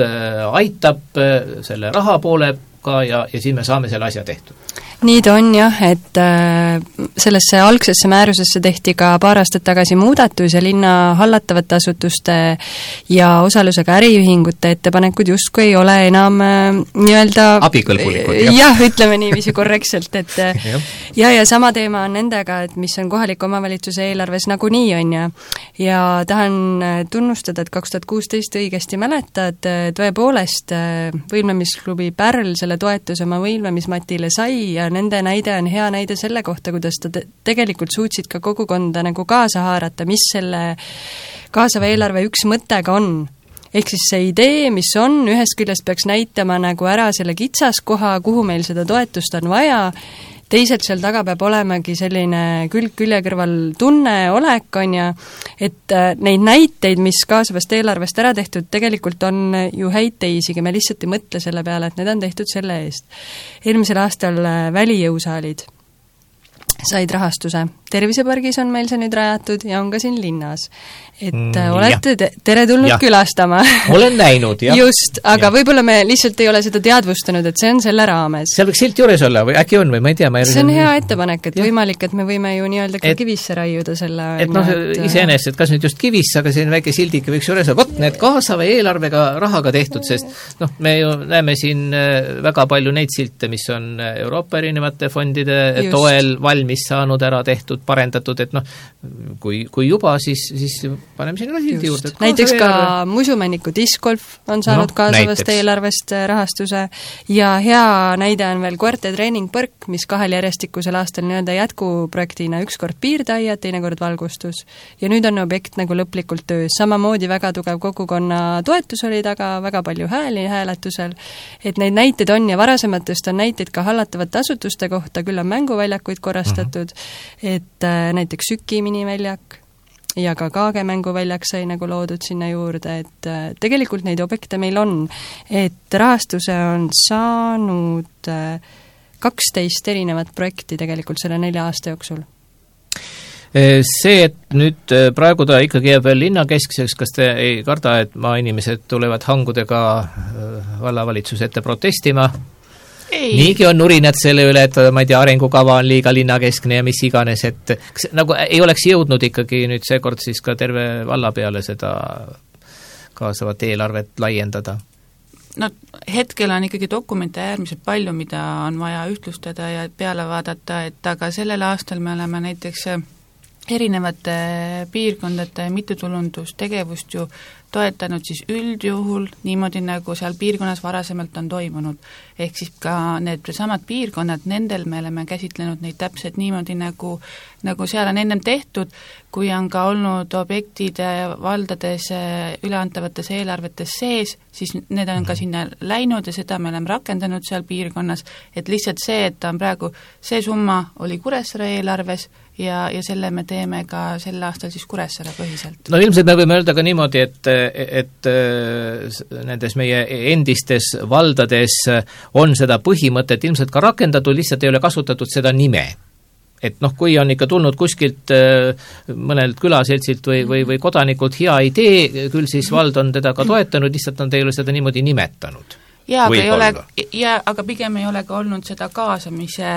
aitab selle raha poolega ja, ja siis me saame selle asja tehtud. Nii ta on jah, et äh, sellesse algsesse määrusesse tehti ka paar aastat tagasi muudatus ja linna hallatavate asutuste ja osalusega äriühingute ettepanekud justkui ei ole enam äh, nii-öelda abikõlbulikud, jah. jah, ütleme niiviisi korrektselt, et ja, ja sama teema on nendega, et mis on kohaliku omavalitsuse eelarves nagunii on ja ja tahan tunnustada, et kaks tuhat kuusteist õigesti mäletad, tõepoolest võimlemisklubi Pärl selle toetuse oma võimlemismatile sai ja nende näide on hea näide selle kohta, kuidas ta te- tegelikult suutsid ka kogukonda nagu kaasa haarata, mis selle kaasava eelarve üks mõte ka on. Ehk siis see idee, mis on, ühest küljest peaks näitama nagu ära selle kitsaskoha, kuhu meil seda toetust on vaja, teisalt seal taga peab olemagi selline külg külje kõrval tunne, olek, on ja, et neid näiteid, mis kaasavast eelarvest ära tehtud, tegelikult on ju häid teisigi, me lihtsalt ei mõtle selle peale, et need on tehtud selle eest. Eelmisel aastal välijõusaalid said rahastuse. Tervisepargis on meil see nüüd rajatud ja on ka siin linnas. Et mm, olete te- tere tulnud ja. Külastama. Olen näinud, jah. Just, aga ja. Võib-olla me lihtsalt ei ole seda teadvustanud, et see on selle raames. Seal võiks silt juures olla või äkki on või ma ei tea. Ma ei see on hea ettepanek, et ja. Võimalik, et me võime ju nii-öelda ka et, kivisse raiuda selle. Et noh, iseenesest, et kas nüüd just kivisse, aga siin väike sildike võiks juures olla. Vot need kaasava eelarvega rahaga tehtud, sest noh, me ju näeme siin väga palju neid silte, mis on Euroopa erinevate fondide just. Toel valmis saanud ära tehtud, parendatud, et noh, kui, kui juba, siis, siis paneme sinna sildi juurde. Näiteks ka Musumänniku discgolf on saanud no, kaasavast näiteks. Eelarvest rahastuse ja hea näide on veel Koerte treeningpõrk, mis kahel järjestikusel aastal nii-öelda jätkuprojektina üks kord piirdaia, teine kord valgustus. Ja nüüd on objekt nagu lõplikult töös. Samamoodi väga tugev kogukonna toetus oli taga, väga palju hääli hääletusel, et neid näiteid on ja varasematest on näiteid ka hallatavate asutuste kohta, küll on mänguväljakuid korrastatud, mm-hmm. et äh, näiteks Süki miniväljak ja ka Kaage mänguväljak sai nagu loodud sinna juurde, et äh, tegelikult neid objekte meil on, et rahastuse on saanud äh, kaksteist erinevat projekti tegelikult selle nelja aasta jooksul. See, et nüüd praegu ta ikkagi jääb veel linnakeskseks, kas te ei karda, et maainimesed tulevad hangudega vallavalitsuse ette protestima? Ei. Niigi on nurinad selle üle, et ma ei tea, arengukava on liiga linnakeskne ja mis iganes, et kas, nagu ei oleks jõudnud ikkagi nüüd seekord siis ka terve valla peale seda kaasavat eelarvet laiendada? No hetkel on ikkagi dokumente äärmiselt palju, mida on vaja ühtlustada ja peale vaadata, et aga sellel aastal me oleme näiteks erinevate piirkondade mittetulundustegevust ju toetanud siis üldjuhul niimoodi, nagu seal piirkonnas varasemalt on toimunud. Ehk siis ka need samad piirkonnad, nendel me oleme käsitlenud neid täpselt niimoodi, nagu, nagu seal on ennem tehtud, kui on ka olnud objektide valdades üleantavates eelarvetes sees, siis need on ka sinna läinud ja seda me oleme rakendanud seal piirkonnas, et lihtsalt see, et ta on praegu, see summa oli Kuressaare eelarves ja, ja selle me teeme ka sel aastal siis Kuressaare põhiselt. No ilmselt me võime öelda ka niimoodi, et, et nendes meie endistes valdades on seda põhimõtet ilmselt ka rakendatud, lihtsalt ei ole kasutatud seda nime. Et noh, kui on ikka tulnud kuskilt mõnelt külaseltsilt või, või, või kodanikult hea idee, küll siis vald on teda ka toetanud, lihtsalt on teile seda niimoodi nimetanud. Jaa, aga, ei ole, ja, aga pigem ei ole ka olnud seda kaasamise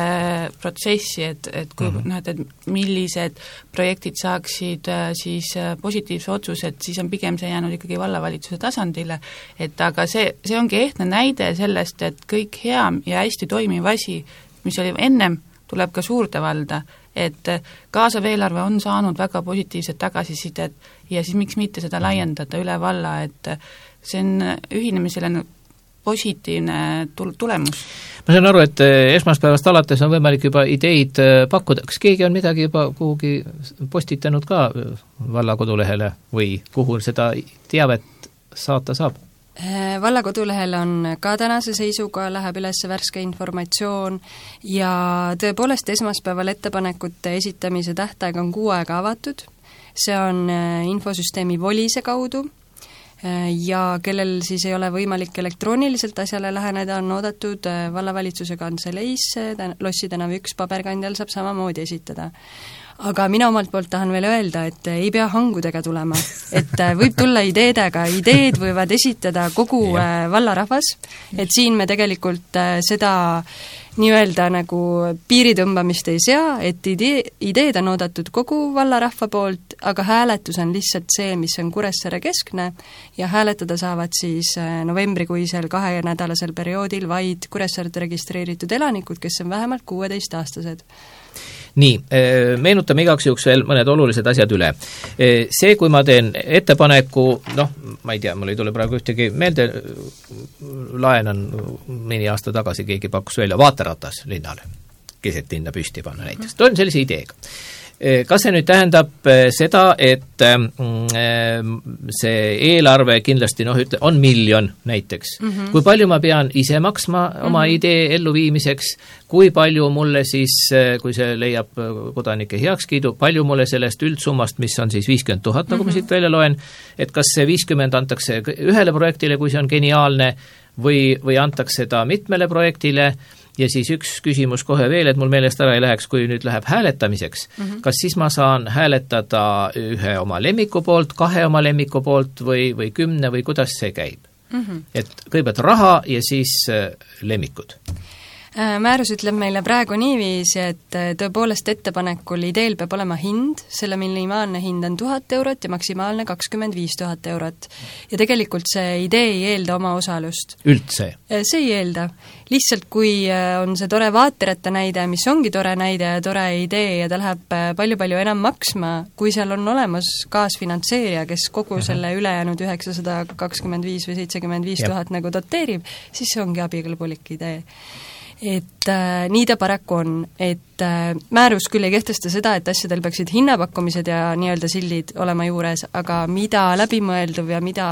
protsessi, et, et kui mm-hmm. näed, et millised projektid saaksid siis positiivse otsused, siis on pigem see jäänud ikkagi vallavalitsuse tasandile, et aga see, see ongi ehtne näide sellest, et kõik hea ja hästi toimiv asi, mis oli ennem, tuleb ka suurde valda, et kaasav eelarve on saanud väga positiivset tagasisidet ja siis miks mitte seda laiendada üle valla, et see on ühinemisele positiivne tulemus. Ma saan aru, et esmaspäevast alates on võimalik juba ideid pakkuda. Kas keegi on midagi juba kuhugi postitanud ka valla kodulehele või kuhu seda teavet saata saab? Valla kodulehel on ka tänase seisuga, läheb üles värske informatsioon ja tõepoolest esmaspäeval ettepanekute esitamise tähtaeg on kuu aega avatud, see on infosüsteemi Volise kaudu ja kellel siis ei ole võimalik elektrooniliselt asjale läheneda, on oodatud vallavalitsuse kantseleisse, Lossi tänav üks paberkandjal saab samamoodi esitada. Aga mina omalt poolt tahan veel öelda, et ei pea hangudega tulema, et võib tulla ideedega, ideed võivad esitada kogu vallarahvas, et siin me tegelikult seda nii-öelda nagu piiritõmbamist ei sea, et idee, ideed on oodatud kogu vallarahva poolt, aga hääletus on lihtsalt see, mis on Kuressaare keskne ja hääletada saavad siis novembrikuisel kahenädalasel perioodil vaid Kuressaaret registreeritud elanikud, kes on vähemalt kuueteistaastased. Nii, meenutame igaks juhuks veel mõned olulised asjad üle. See, kui ma teen ettepaneku, noh, ma ei tea, mul ei tule praegu ühtegi meelde, laenan mõni aasta tagasi, keegi pakkus välja vaateratas linnale, keset linna püsti panna näiteks. Toon sellise ideega. Kas see nüüd tähendab seda, et see eelarve kindlasti noh, ütle, on miljon näiteks. Mm-hmm. Kui palju ma pean ise maksma oma mm-hmm. idee elluviimiseks, kui palju mulle siis, kui see leiab kodanike heakskiidu, palju mulle sellest üldsummast, mis on siis viiskümmend tuhat, nagu mm-hmm. ma siit välja loen, et kas see viiskümmend antakse ühele projektile, kui see on geniaalne, või, või antakse ta mitmele projektile. Ja siis üks küsimus kohe veel, et mul meelest ära ei läheks, kui nüüd läheb hääletamiseks. Mm-hmm. Kas siis ma saan hääletada ühe oma lemmiku poolt, kahe oma lemmiku poolt või, või kümne või kuidas see käib? Mm-hmm. Et kõigepealt raha ja siis lemmikud. Määrus ütleb meile praegu niiviisi, et tõepoolest ettepanekul ideel peab olema hind, selle minimaalne hind on tuhat eurot ja maksimaalne kakskümmend viis tuhat eurot. Ja tegelikult see idee ei eelda oma osalust. Üldse? See ei eelda. Lihtsalt kui on see tore vaateretta näide, mis ongi tore näide ja tore idee ja ta läheb palju-palju enam maksma, kui seal on olemas kaasfinantseerija, kes kogu uh-huh. selle ülejäänud üheksasada kakskümmend viis või seitsekümmend viis tuhat nagu doteerib, siis see ongi abikõlbulik idee. Et äh, nii ta paraku on, et äh, määrus küll ei kehtesta seda, et asjadel peaksid hinnapakkumised ja nii-öelda sildid olema juures, aga mida läbimõelduv ja mida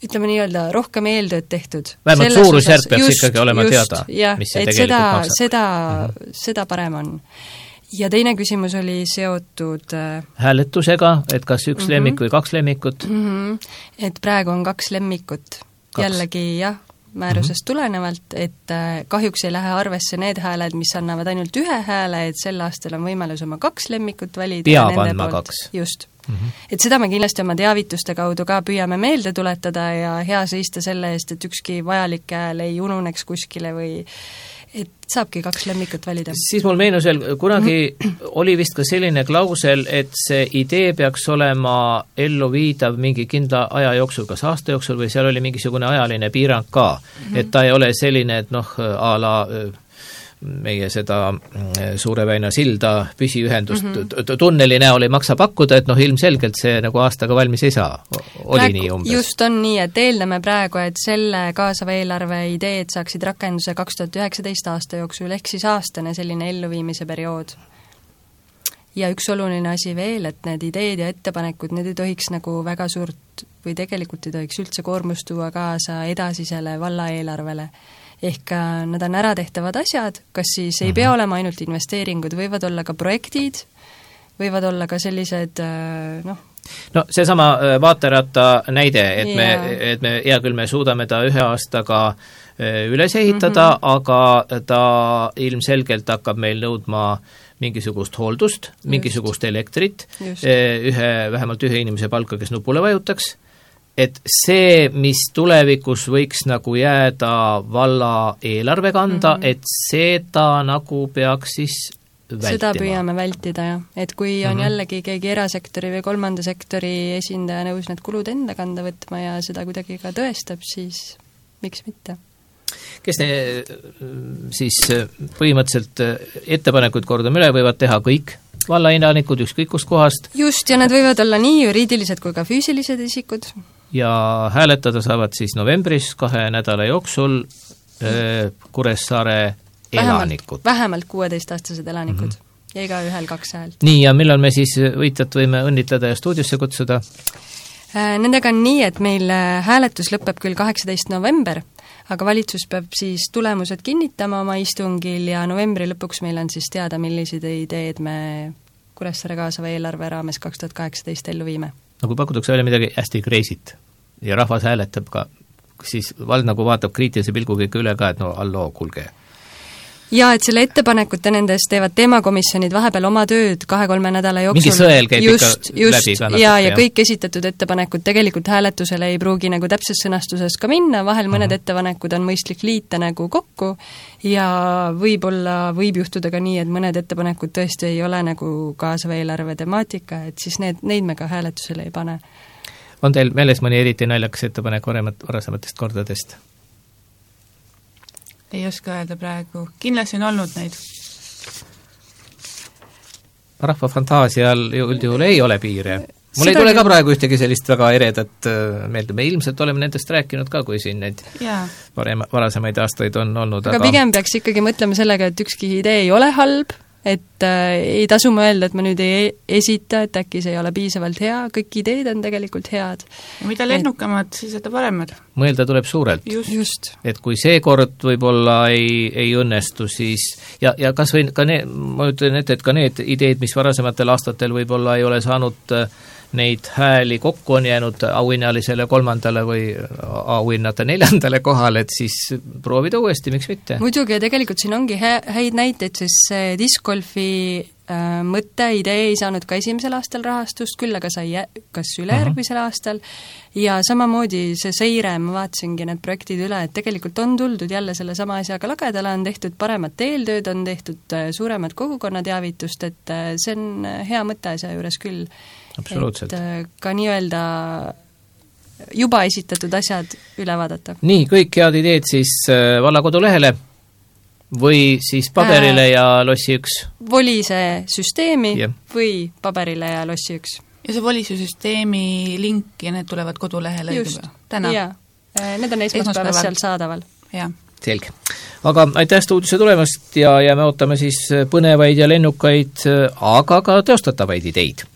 ütleme nii-öelda rohkem eeltööd tehtud. Vähemalt suurusjärk peaks just, ikkagi olema just, teada, ja, mis see et tegelikult seda, maksab. Seda, uh-huh. seda parem on. Ja teine küsimus oli seotud äh, hääletusega, et kas üks uh-huh. lemmik või kaks lemmikut? Uh-huh. Et praegu on kaks lemmikut. Kaks. Jällegi jah, määrusest mm-hmm. tulenevalt, et äh, kahjuks ei lähe arvesse need hääled, mis annavad ainult ühe hääle, et sel aastal on võimalus oma kaks lemmikut valida. Peab andma kaks. Just. Mm-hmm. Et seda me kindlasti oma teavituste kaudu ka püüame meelde tuletada ja hea seista selle eest, et ükski vajalik hääl ei ununeks kuskile või et saabki kaks lemmikut valida. Siis mul meenus veel, kunagi oli vist ka selline klausel, et see idee peaks olema ellu viidav mingi kindla aja jooksul, kas aasta jooksul või seal oli mingisugune ajaline piirang ka. Mm-hmm. Et ta ei ole selline, et noh, a la meie seda Suure väina silda püsiühendust mm -hmm. tunneli näol ei maksa pakkuda, et noh, ilmselgelt see nagu aastaga valmis ei saa, oli praegu, nii umbes? Just on nii, et eeldame praegu, et selle kaasava eelarve ideed saaksid rakenduse kaks tuhat üheksateist aasta jooksul, ehk siis aastane selline elluviimise periood. Ja üks oluline asi veel, et need ideed ja ettepanekud, need ei tohiks nagu väga suurt või tegelikult ei tohiks üldse koormust tuua kaasa edasisele vallaeelarvele. Ehk nad on äratehtavad asjad, kas siis ei pea olema ainult investeeringud, võivad olla ka projektid, võivad olla ka sellised noh, no seesama vaateratta näide, et me, et me hea küll, me suudame ta ühe aastaga üles ehitada mm, -hmm. aga ta ilmselgelt hakkab meil nõudma mingisugust hooldust, mingisugust elektrit, ühe, vähemalt ühe inimese palka, kes nupule vajutaks, et see, mis tulevikus võiks nagu jääda valla eelarve kanda mm, -hmm. et seda nagu peaks siis vältima. Seda püüame vältida, jah. Et kui on mm -hmm. jällegi keegi erasektori või kolmanda sektori esindaja nõus need kulud enda kanda võtma ja seda kuidagi ka tõestab, siis miks mitte? Kes ne, siis põhimõtteliselt ettepanekuid kordame üle, võivad teha kõik vallainanikud ükskõik kust kohast. Just, ja need võivad olla nii juriidilised kui ka füüsilised isikud. Ja hääletada saavad siis novembris kahe nädala jooksul mm. Kuressaare elanikud. Vähemalt kuueteistaastased elanikud mm -hmm. ja iga ühel kaks häält. Nii, ja millal me siis võitjat võime õnnitleda ja stuudiosse kutsuda? Nendega on nii, et meil hääletus lõpeb küll kaheksateist november, aga valitsus peab siis tulemused kinnitama oma istungil ja novembri lõpuks meil on siis teada, millised ideed me Kuressaare kaasava eelarve raames kaks tuhat kaheksateist ellu viime. No kui pakutakse välja midagi hästi kreisit ja rahvas hääletab ka, siis vald nagu vaatab kriitilise pilguga ikka üle ka, et no alloo, kuulge. Ja et selle ettepanekute nendes teevad teemakomisjonid vahepeal oma tööd kahe-kolme nädala jooksul. Mingi sõel käib just, ikka just, läbi ka. Ja, ja kõik esitatud ettepanekud tegelikult hääletusele ei pruugi nagu täpses sõnastuses ka minna, vahel mõned uh -huh. ettepanekud on mõistlik liita nagu kokku ja võib-olla võib juhtuda ka nii, et mõned ettepanekud tõesti ei ole nagu kaasava eelarve temaatika, et siis need, neid me ka hääletusele ei pane. On teil meeles mõni eriti naljakas ettepanek varemat, varasematest kordadest? Ei oska öelda praegu. Kindlasti on olnud neid. Rahva fantaasial üldjuhul ei ole piire. Mul Seda ei tule ka praegu ühtegi sellist väga eredat meelde. Me ilmselt oleme nendest rääkinud ka, kui siin neid varem, varasemaid aastaid on olnud. Aga, aga pigem peaks ikkagi mõtlema sellega, et ükski idee ei ole halb, et äh, ei tasu mõelda, et ma nüüd ei esita, et äkki see ei ole piisavalt hea, kõik ideed on tegelikult head. Ja mida lennukamad, siis seda paremad. Mõelda tuleb suurelt. Just. Just. Et kui see kord võib-olla ei, ei õnnestu, siis ja, ja kas või ka need, ma ütlen ette, et ka need ideed, mis varasematel aastatel võib-olla ei ole saanud neid hääli kokku, on jäänud auhinnalisele kolmandale või auhinnata neljandale kohale, et siis proovida uuesti, miks mitte? Muidugi, ja tegelikult siin ongi hä- häid näiteid, siis discgolfi äh, mõte, idee ei saanud ka esimesel aastal rahastust, küll aga sai jä- kas ülejärgmisel uh -huh. aastal, ja samamoodi see seire, ma vaatasingi need projektid üle, et tegelikult on tuldud jälle selle sama asjaga lagedale, on tehtud paremat eeltööd, on tehtud äh, suuremat kogukonnateavitust, et äh, see on hea mõte asja juures küll. Absoluutselt. Et ka nii-öelda juba esitatud asjad üle vaadata. Nii, kõik head ideed siis valla kodulehele või siis paberile äh, ja lossi üks? Volise süsteemi yeah. või paberile ja lossi üks. Ja see volise süsteemi link ja need tulevad kodulehele just, täna? jaa, need on esmaspäevas seal saadaval. Jaa. Selge. Aga aitäh stuudiosse tulemast ja, ja me ootame siis põnevaid ja lennukaid, aga ka teostatavaid ideid.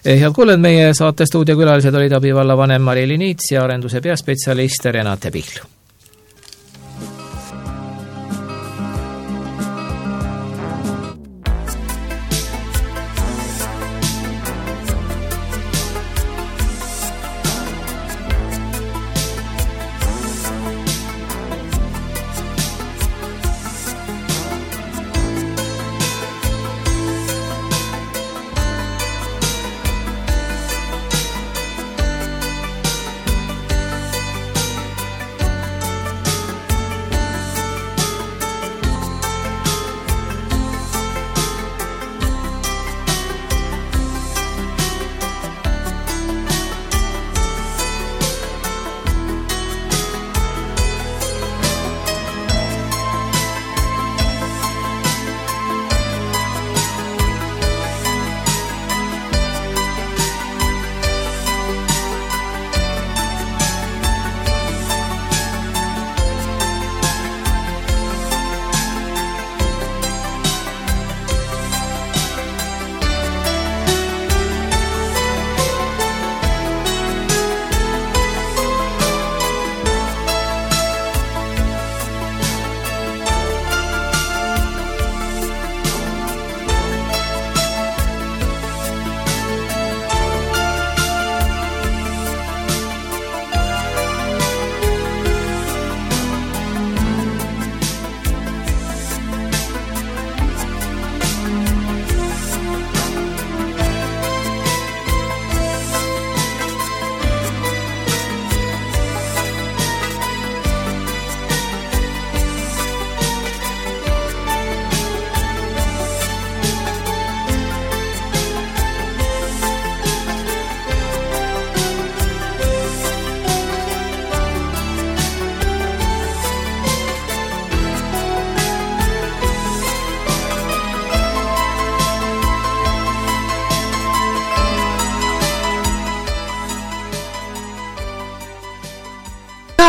Head kuuled, meie saate stuudiokülalised olid abivallavanem Mari-Li Niits ja arenduse peaspetsialist Renate Pihl.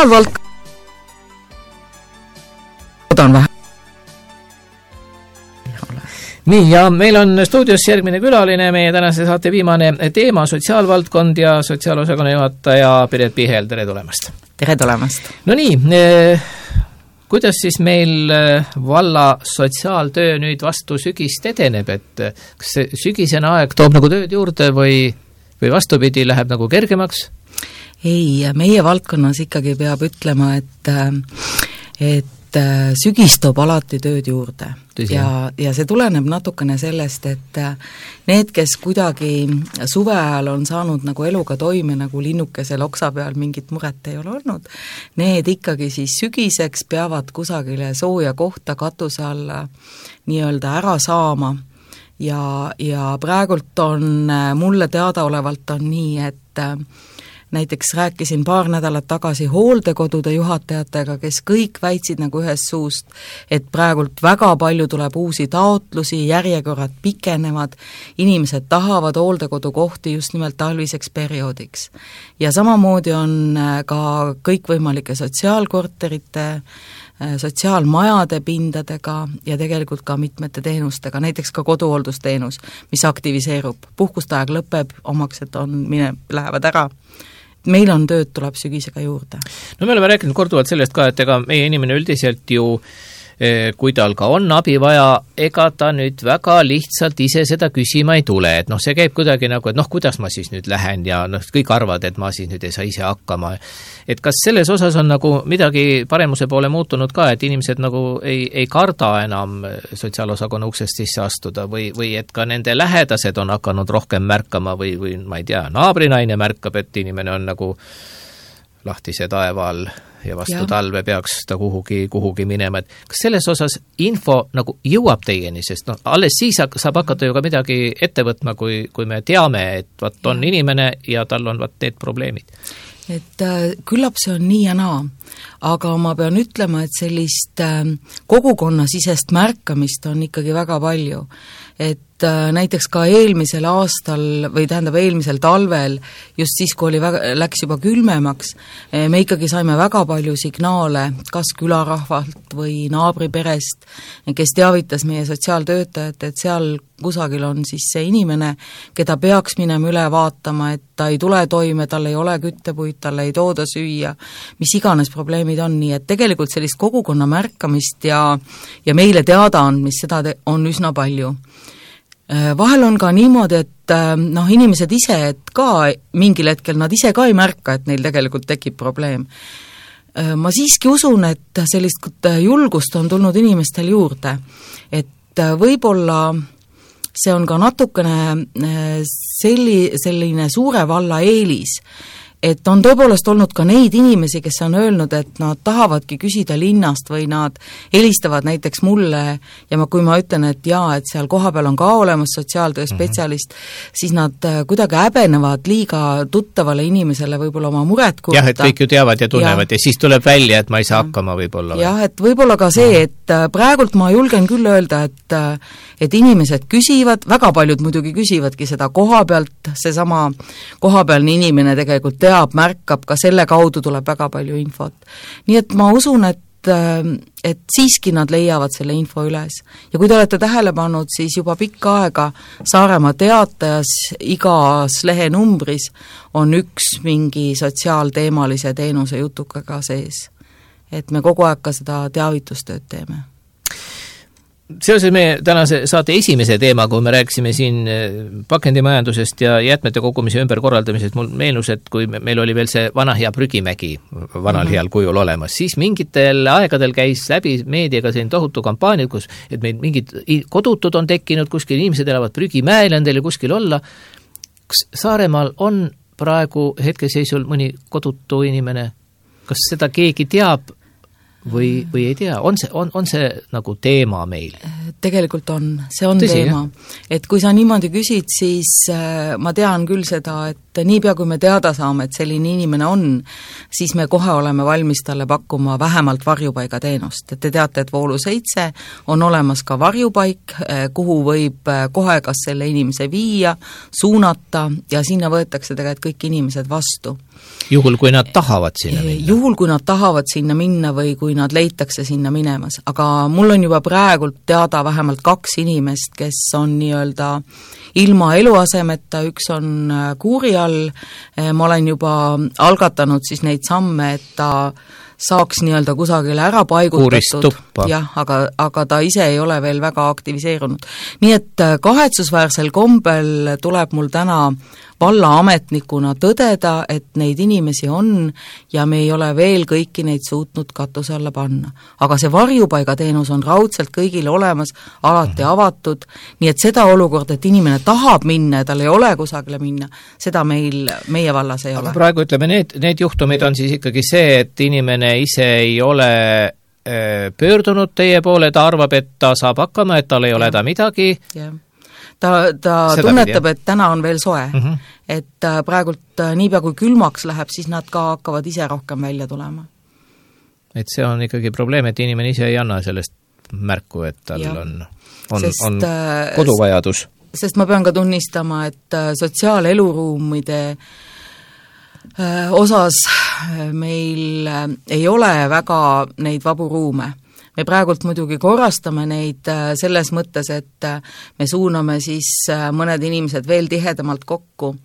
sotsiaalvald- on vähe. nii, ja meil on stuudios järgmine külaline, meie tänase saate viimane teema, sotsiaalvaldkond ja sotsiaalosakonna juhataja Piret Pihel, tere tulemast! Tere tulemast! No nii, eh, kuidas siis meil valla sotsiaaltöö nüüd vastu sügist edeneb, et kas see sügisene aeg toob nagu tööd juurde või, või vastupidi, läheb nagu kergemaks? Ei, meie valdkonnas ikkagi peab ütlema, et, et sügis toob alati tööd juurde. Tõsi, ja, ja see tuleneb natukene sellest, et need, kes kuidagi suve ajal on saanud nagu eluga toime, nagu linnukesel oksa peal mingit muret ei ole olnud, need ikkagi siis sügiseks peavad kusagile sooja kohta katuse alla nii-öelda ära saama. Ja, ja praegult on mulle teadaolevalt on nii, et näiteks rääkisin paar nädalat tagasi hooldekodude juhatajatega, kes kõik väitsid nagu ühest suust, et praegult väga palju tuleb uusi taotlusi, järjekorrad pikenevad, inimesed tahavad hooldekodukohti just nimelt talviseks perioodiks. Ja samamoodi on ka kõikvõimalike sotsiaalkorterite, sotsiaalmajade pindadega ja tegelikult ka mitmete teenustega, näiteks ka koduhooldusteenus, mis aktiviseerub. Puhkuste aeg lõpeb, omaksed on, mine, lähevad ära. Meil on tööd, tuleb sügisega juurde. No me oleme rääkinud korduvalt sellest ka, et ega meie inimene üldiselt ju, kui tal ka on abi vaja, ega ta nüüd väga lihtsalt ise seda küsima ei tule, et noh, see käib kuidagi nagu, et noh, kuidas ma siis nüüd lähen ja noh, kõik arvad, et ma siis nüüd ei saa ise hakkama. Et kas selles osas on nagu midagi paremuse poole muutunud ka, et inimesed nagu ei, ei karda enam sotsiaalosakonna uksest sisse astuda või, või et ka nende lähedased on hakanud rohkem märkama või, või ma ei tea, naabrinaine märkab, et inimene on nagu lahtise taeva all ja vastu ja. Talve peaks ta kuhugi, kuhugi minema, et kas selles osas info nagu jõuab teieni, sest noh, alles siis saab hakata ju ka midagi ette võtma, kui, kui me teame, et vat on ja. Inimene ja tal on vat need probleemid. Et äh, küllap see on nii ja naa, aga ma pean ütlema, et sellist äh, kogukonnasisest märkamist on ikkagi väga palju. Et äh, näiteks ka eelmisel aastal või tähendab eelmisel talvel, just siis, kui oli väga, läks juba külmemaks, me ikkagi saime väga palju signaale, kas külarahvalt või naabriperest, kes teavitas meie sotsiaaltöötajat, et seal kusagil on siis see inimene, keda peaks minema üle vaatama, et ta ei tule toime, tal ei ole küttepuid, talle ei tooda süüa, mis iganes probleemid on, nii et tegelikult sellist kogukonna märkamist ja, ja meile teada andmist, seda te, on üsna palju. Vahel on ka niimoodi, et noh, inimesed ise, et ka mingil hetkel nad ise ka ei märka, et neil tegelikult tekib probleem. Ma siiski usun, et sellist julgust on tulnud inimestel juurde, et võib-olla see on ka natukene selli, selline suure valla eelis, et on tõepoolest olnud ka neid inimesi, kes on öelnud, et nad tahavadki küsida linnast või nad helistavad näiteks mulle ja ma, kui ma ütlen, et jaa, et seal kohapeal on ka olemas sotsiaaltöö spetsialist, mm-hmm. siis nad kuidagi häbenevad liiga tuttavale inimesele võib-olla oma muret kurta. Jah, et kõik ju teavad ja tunnevad ja, ja siis tuleb välja, et ma ei saa hakkama võib-olla. Jah, et võib-olla ka see, et praegult ma julgen küll öelda, et, et inimesed küsivad, väga paljud muidugi küsivadki seda koha pealt, seesama kohapealne inimene tegelikult teab, märkab, ka selle kaudu tuleb väga palju infot. Nii et ma usun, et, et siiski nad leiavad selle info üles. Ja kui te olete tähele pannud, siis juba pikka aega Saaremaa Teatajas igas lehenumbris on üks mingi sotsiaalteemalise teenuse jutukaga sees. Et me kogu aeg ka seda teavitustööd teeme. Seoses meie tänase saate esimese teema, kui me rääkisime siin pakendimajandusest ja jäätmete kogumise ümberkorraldamisest, mul meenus, et kui meil oli veel see vana hea prügimägi vanal heal kujul olemas, siis mingitel aegadel käis läbi meediaga selline tohutu kampaania, kus et meil mingid kodutud on tekkinud, kuskil inimesed elavad prügimäel, on teil kuskil olla. Kas Saaremaal on praegu hetkeseisul mõni kodutu inimene? Kas seda keegi teab? Või, või ei tea, on see, on, on see nagu teema meil? Tegelikult on, see on Tõsi, teema. Jah? Et kui sa niimoodi küsid, siis äh, ma tean küll seda, et niipea, kui me teada saame, et selline inimene on, siis me kohe oleme valmis talle pakkuma vähemalt varjupaigateenust. Et te teate, et Voolu seitse on olemas ka varjupaik, kuhu võib kohe kas selle inimese viia, suunata ja sinna võetakse tegelikult kõik inimesed vastu. Juhul, kui nad tahavad sinna minna? Juhul, kui nad tahavad sinna minna või kui nad leitakse sinna minemas. Aga mul on juba praegult teada vähemalt kaks inimest, kes on nii-öelda ilma eluasemeta, üks on kuuri all, ma olen juba algatanud siis neid samme, et ta saaks nii-öelda kusagile ära paigutatud, jah, aga, aga ta ise ei ole veel väga aktiviseerunud. Nii et kahetsusväärsel kombel tuleb mul täna vallaametnikuna tõdeda, et neid inimesi on ja me ei ole veel kõiki neid suutnud katuse alla panna. Aga see varjupaigateenus on raudselt kõigile olemas, alati avatud, nii et seda olukord, et inimene tahab minna ja tal ei ole kusagile minna, seda meil, meie vallas ei aga ole. Praegu ütleme, need, need juhtumid on siis ikkagi see, et inimene ise ei ole pöördunud teie poole, ta arvab, et ta saab hakkama, et tal ei ole ta midagi. Jah. ta, ta Seda tunnetab, et täna on veel soe mm, -hmm. et praegult niipea kui külmaks läheb, siis nad ka hakkavad ise rohkem välja tulema. Et see on ikkagi probleem, et inimene ise ei anna sellest märku, et tal ja. on, on, sest, on koduvajadus. Sest ma pean ka tunnistama, et sotsiaaleluruumide osas meil ei ole väga neid vabu ruume. Me praegult muidugi korrastame neid selles mõttes, et me suuname siis mõned inimesed veel tihedamalt kokku,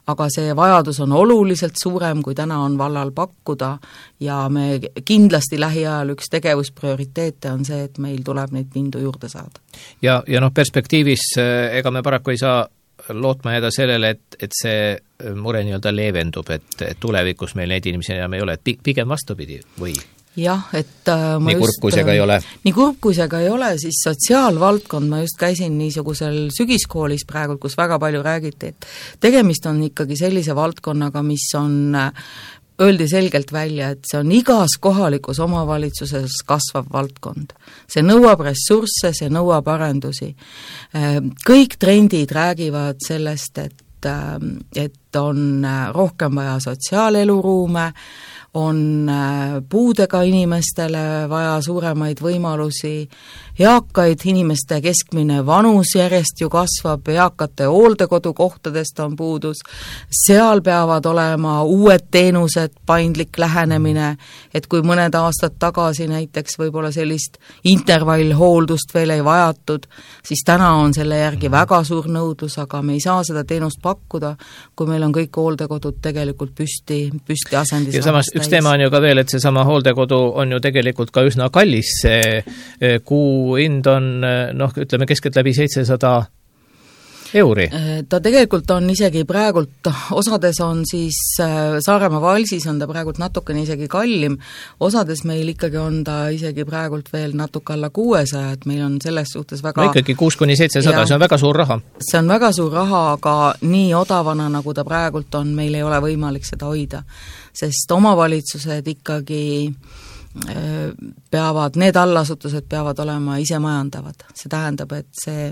aga see vajadus on oluliselt suurem, kui täna on vallal pakkuda ja me kindlasti lähiajal üks tegevusprioriteete on see, et meil tuleb neid pindu juurde saada. Ja, ja noh, perspektiivis ega me paraku ei saa lootma jääda sellele, et, et see mure nii-öelda leevendub, et, et tulevikus meil neid inimesi enam ei ole, et pigem vastupidi või? Jah, et ma nii kurb, kui see ka ei ole. Nii kurb, kui see ka ei ole, siis sotsiaalvaldkond, ma just käisin niisugusel sügiskoolis praegu, kus väga palju räägiti, et tegemist on ikkagi sellise valdkonnaga, mis on, öeldi selgelt välja, et see on igas kohalikus omavalitsuses kasvav valdkond. See nõuab ressursse, see nõuab arendusi. Kõik trendid räägivad sellest, et, et on rohkem vaja sotsiaaleluruume, on puudega inimestele vaja suuremaid võimalusi, eakaid inimeste keskmine vanus järjest ju kasvab, eakate hooldekodukohtadest on puudus, seal peavad olema uued teenused, paindlik lähenemine, et kui mõned aastad tagasi näiteks võib-olla sellist intervallhooldust veel ei vajatud, siis täna on selle järgi väga suur nõudlus, aga me ei saa seda teenust pakkuda, kui meil on kõik hooldekodud tegelikult püsti, püsti asendis. Ja samas üks teema on ju ka veel, et see sama hooldekodu on ju tegelikult ka üsna kallis, see kuu hind on, noh, ütleme keskelt läbi seitsesada euri. Ta tegelikult on isegi praegult, osades on siis Saaremaa Valsis on ta praegult natukene isegi kallim, osades meil ikkagi on ta isegi praegult veel natuke alla kuuesaja, et meil on selles suhtes väga... No ikkagi kuus kuni seitsesada, see on väga suur raha. See on väga suur raha, aga nii odavana, nagu ta praegult on, meil ei ole võimalik seda hoida, sest omavalitsused ikkagi peavad, need allasutused peavad olema ise majandavad. See tähendab, et see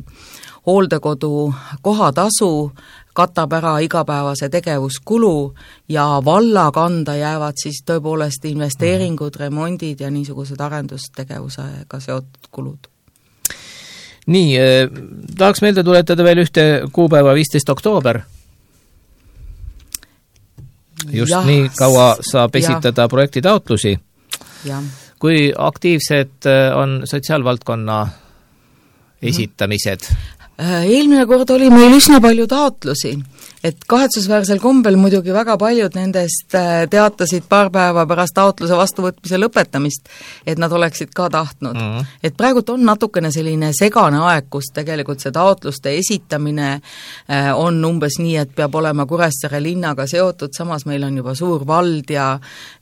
hooldekodu kohatasu katab ära igapäevase tegevuskulu ja valla kanda jäävad siis tõepoolest investeeringud, remondid ja niisugused arendustegevusega seotud kulud. Nii, eh, tahaks meelde tuletada veel ühte kuupäeva, viisteist oktoober. Just ja, nii kaua saab esitada ja. projektitaotlusi. Ja. Kui aktiivsed on sotsiaalvaldkonna esitamised? Eelmine kord oli meil üsna palju taotlusi, et kahetsusväärsel kombel muidugi väga paljud nendest teatasid paar päeva pärast taotluse vastuvõtmise lõpetamist, et nad oleksid ka tahtnud. Mm-hmm. Et praegult on natukene selline segane aeg, kus tegelikult see taotluste esitamine on umbes nii, et peab olema Kuressaare linnaga seotud, samas meil on juba suur vald ja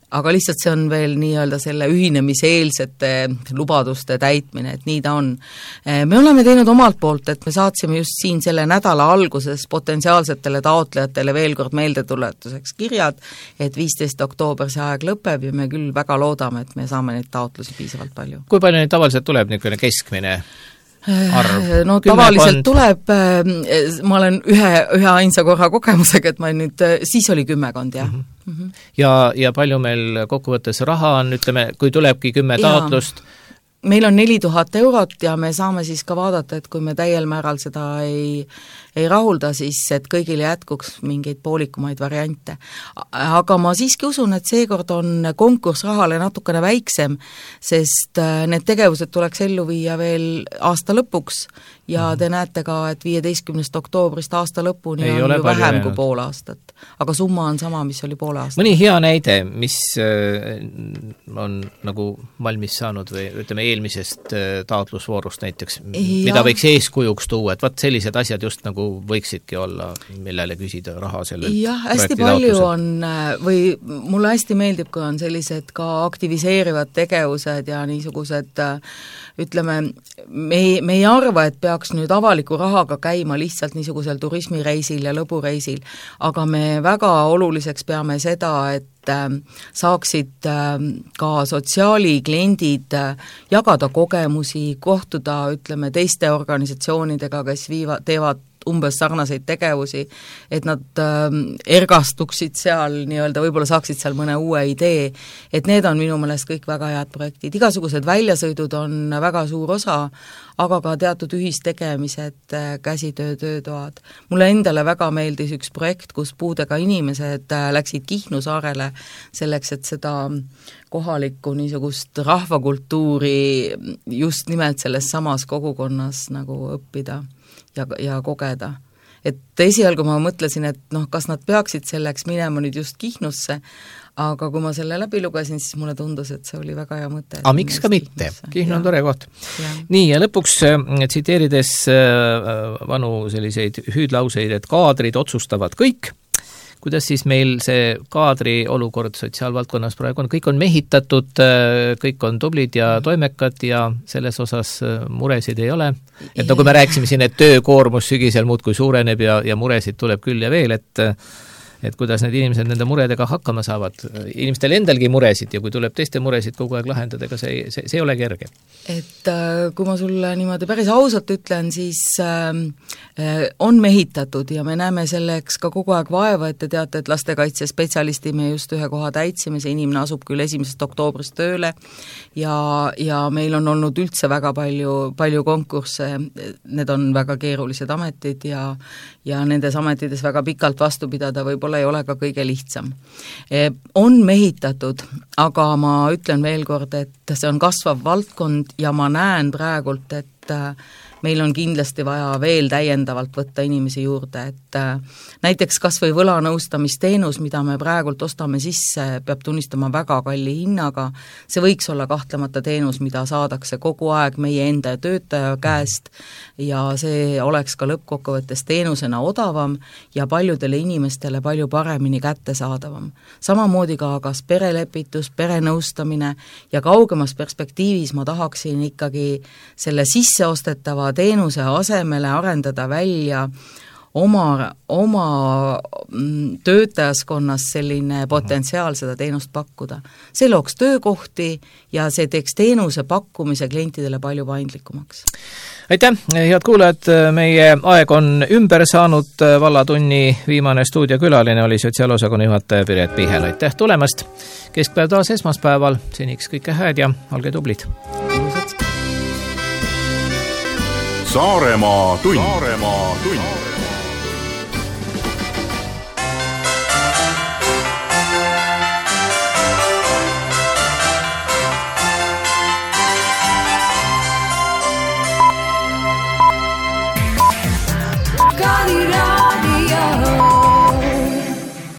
aga lihtsalt see on veel nii-öelda selle ühinemiseelsete lubaduste täitmine, et nii ta on. Me oleme teinud omalt poolt, et me saatsime just siin selle nädala alguses potentsiaalsetele taotlejatele veel kord meeldetuletuseks kirjad, et viisteist oktoober see aeg lõpeb ja me küll väga loodame, et me saame neid taotlusi piisavalt palju. Kui palju neid tavaliselt tuleb niisugune keskmine? arv? No tavaliselt tuleb, ma olen ühe, ühe ainsa korra kogemusega, et ma nüüd, siis oli kümmekond, jah. Mm -hmm. Mm -hmm. Ja, ja palju meil kokkuvõttes raha on, ütleme, kui tulebki kümme taotlust? Meil on neli tuhat eurot ja me saame siis ka vaadata, et kui me täiel määral seda ei, ei rahulda, siis et kõigile jätkuks mingeid poolikumaid variante. Aga ma siiski usun, et seekord on konkurss rahale natukene väiksem, sest need tegevused tuleks ellu viia veel aasta lõpuks ja te näete ka, et viieteistkümnest oktoobrist aasta lõpuni ei on ju vähem jäänud kui pool aastat. Aga summa on sama, mis oli pool aastat. Mõni hea näide, mis on nagu valmis saanud või ütleme eelmisest taotlusvoorust näiteks, ja. mida võiks eeskujuks tuua, et vaat sellised asjad just nagu võiksidki olla, millele küsida raha sellelt jah, hästi palju on, või mulle hästi meeldib, kui on sellised ka aktiviseerivad tegevused ja niisugused, ütleme, me ei, me ei arva, et peaks nüüd avaliku rahaga käima lihtsalt niisugusel turismireisil ja lõbureisil, aga me väga oluliseks peame seda, et saaksid ka sotsiaalikliendid jagada kogemusi, kohtuda, ütleme, teiste organisatsioonidega, kes viivad, teevad umbes sarnaseid tegevusi, et nad äh, ergastuksid seal nii-öelda, võib-olla saaksid seal mõne uue idee, et need on minu meelest kõik väga head projektid. Igasugused väljasõidud on väga suur osa, aga ka teatud ühistegemised, käsitöö, töötoad. Mulle endale väga meeldis üks projekt, kus puudega inimesed läksid Kihnu saarele selleks, et seda kohalikku niisugust rahvakultuuri just nimelt selles samas kogukonnas nagu õppida ja, ja kogeda. Et esialgu ma mõtlesin, et noh, kas nad peaksid selleks minema nüüd just Kihnusse, aga kui ma selle läbi lugesin, siis mulle tundus, et see oli väga hea mõte. Aga miks ka mitte? Kihnu on tore koht. Ja. Nii, ja lõpuks tsiteerides vanu selliseid hüüdlauseid, et kaadrid otsustavad kõik, kuidas siis meil see kaadri olukord sotsiaalvaldkonnas praegu on, kõik on mehitatud, kõik on tublid ja toimekad ja selles osas muresid ei ole. Et nagu me rääkisime siin, et töökoormus sügisel muudkui suureneb ja, ja muresid tuleb küll ja veel, et et kuidas need inimesed nende muredega hakkama saavad. Inimestel endalgi muresid ja kui tuleb teiste muresid kogu aeg lahendada, ega see, see, see ei ole kerge. Et äh, kui ma sulle niimoodi päris ausalt ütlen, siis äh, on mehitatud ja me näeme selleks ka kogu aeg vaeva, et te teate, et lastekaitsespetsialisti me just ühe koha täitsime, see inimene asub küll esimesest oktoobrist tööle ja, ja meil on olnud üldse väga palju, palju konkursse, need on väga keerulised ametid ja, ja nendes ametides väga pikalt vastu pidada võib ei ole ka kõige lihtsam. On mehitatud, aga ma ütlen veel kord, et see on kasvav valdkond ja ma näen praegult, et meil on kindlasti vaja veel täiendavalt võtta inimesi juurde, et näiteks kas või võlanõustamisteenus, mida me praegult ostame sisse, peab tunnistama väga kalli hinnaga, see võiks olla kahtlemata teenus, mida saadakse kogu aeg meie enda töötaja käest ja see oleks ka lõppkokkuvõttes teenusena odavam ja paljudele inimestele palju paremini kättesaadavam. Samamoodi ka kas perelepitus, perenõustamine ja kaugemas perspektiivis ma tahaksin ikkagi selle sisseostetava teenuse asemele arendada välja oma, oma töötajaskonnas selline potentsiaal seda teenust pakkuda. See looks töökohti ja see teeks teenuse pakkumise klientidele palju paindlikumaks. Aitäh, head kuulajad, meie aeg on ümber saanud, vallatunni viimane stuudiokülaline oli sotsiaalosakonna juhataja Piret Pihel. Aitäh tulemast, keskpäev taas esmaspäeval, seniks kõike hääd ja olge tublid. Saaremaa tund. Saaremaa tund.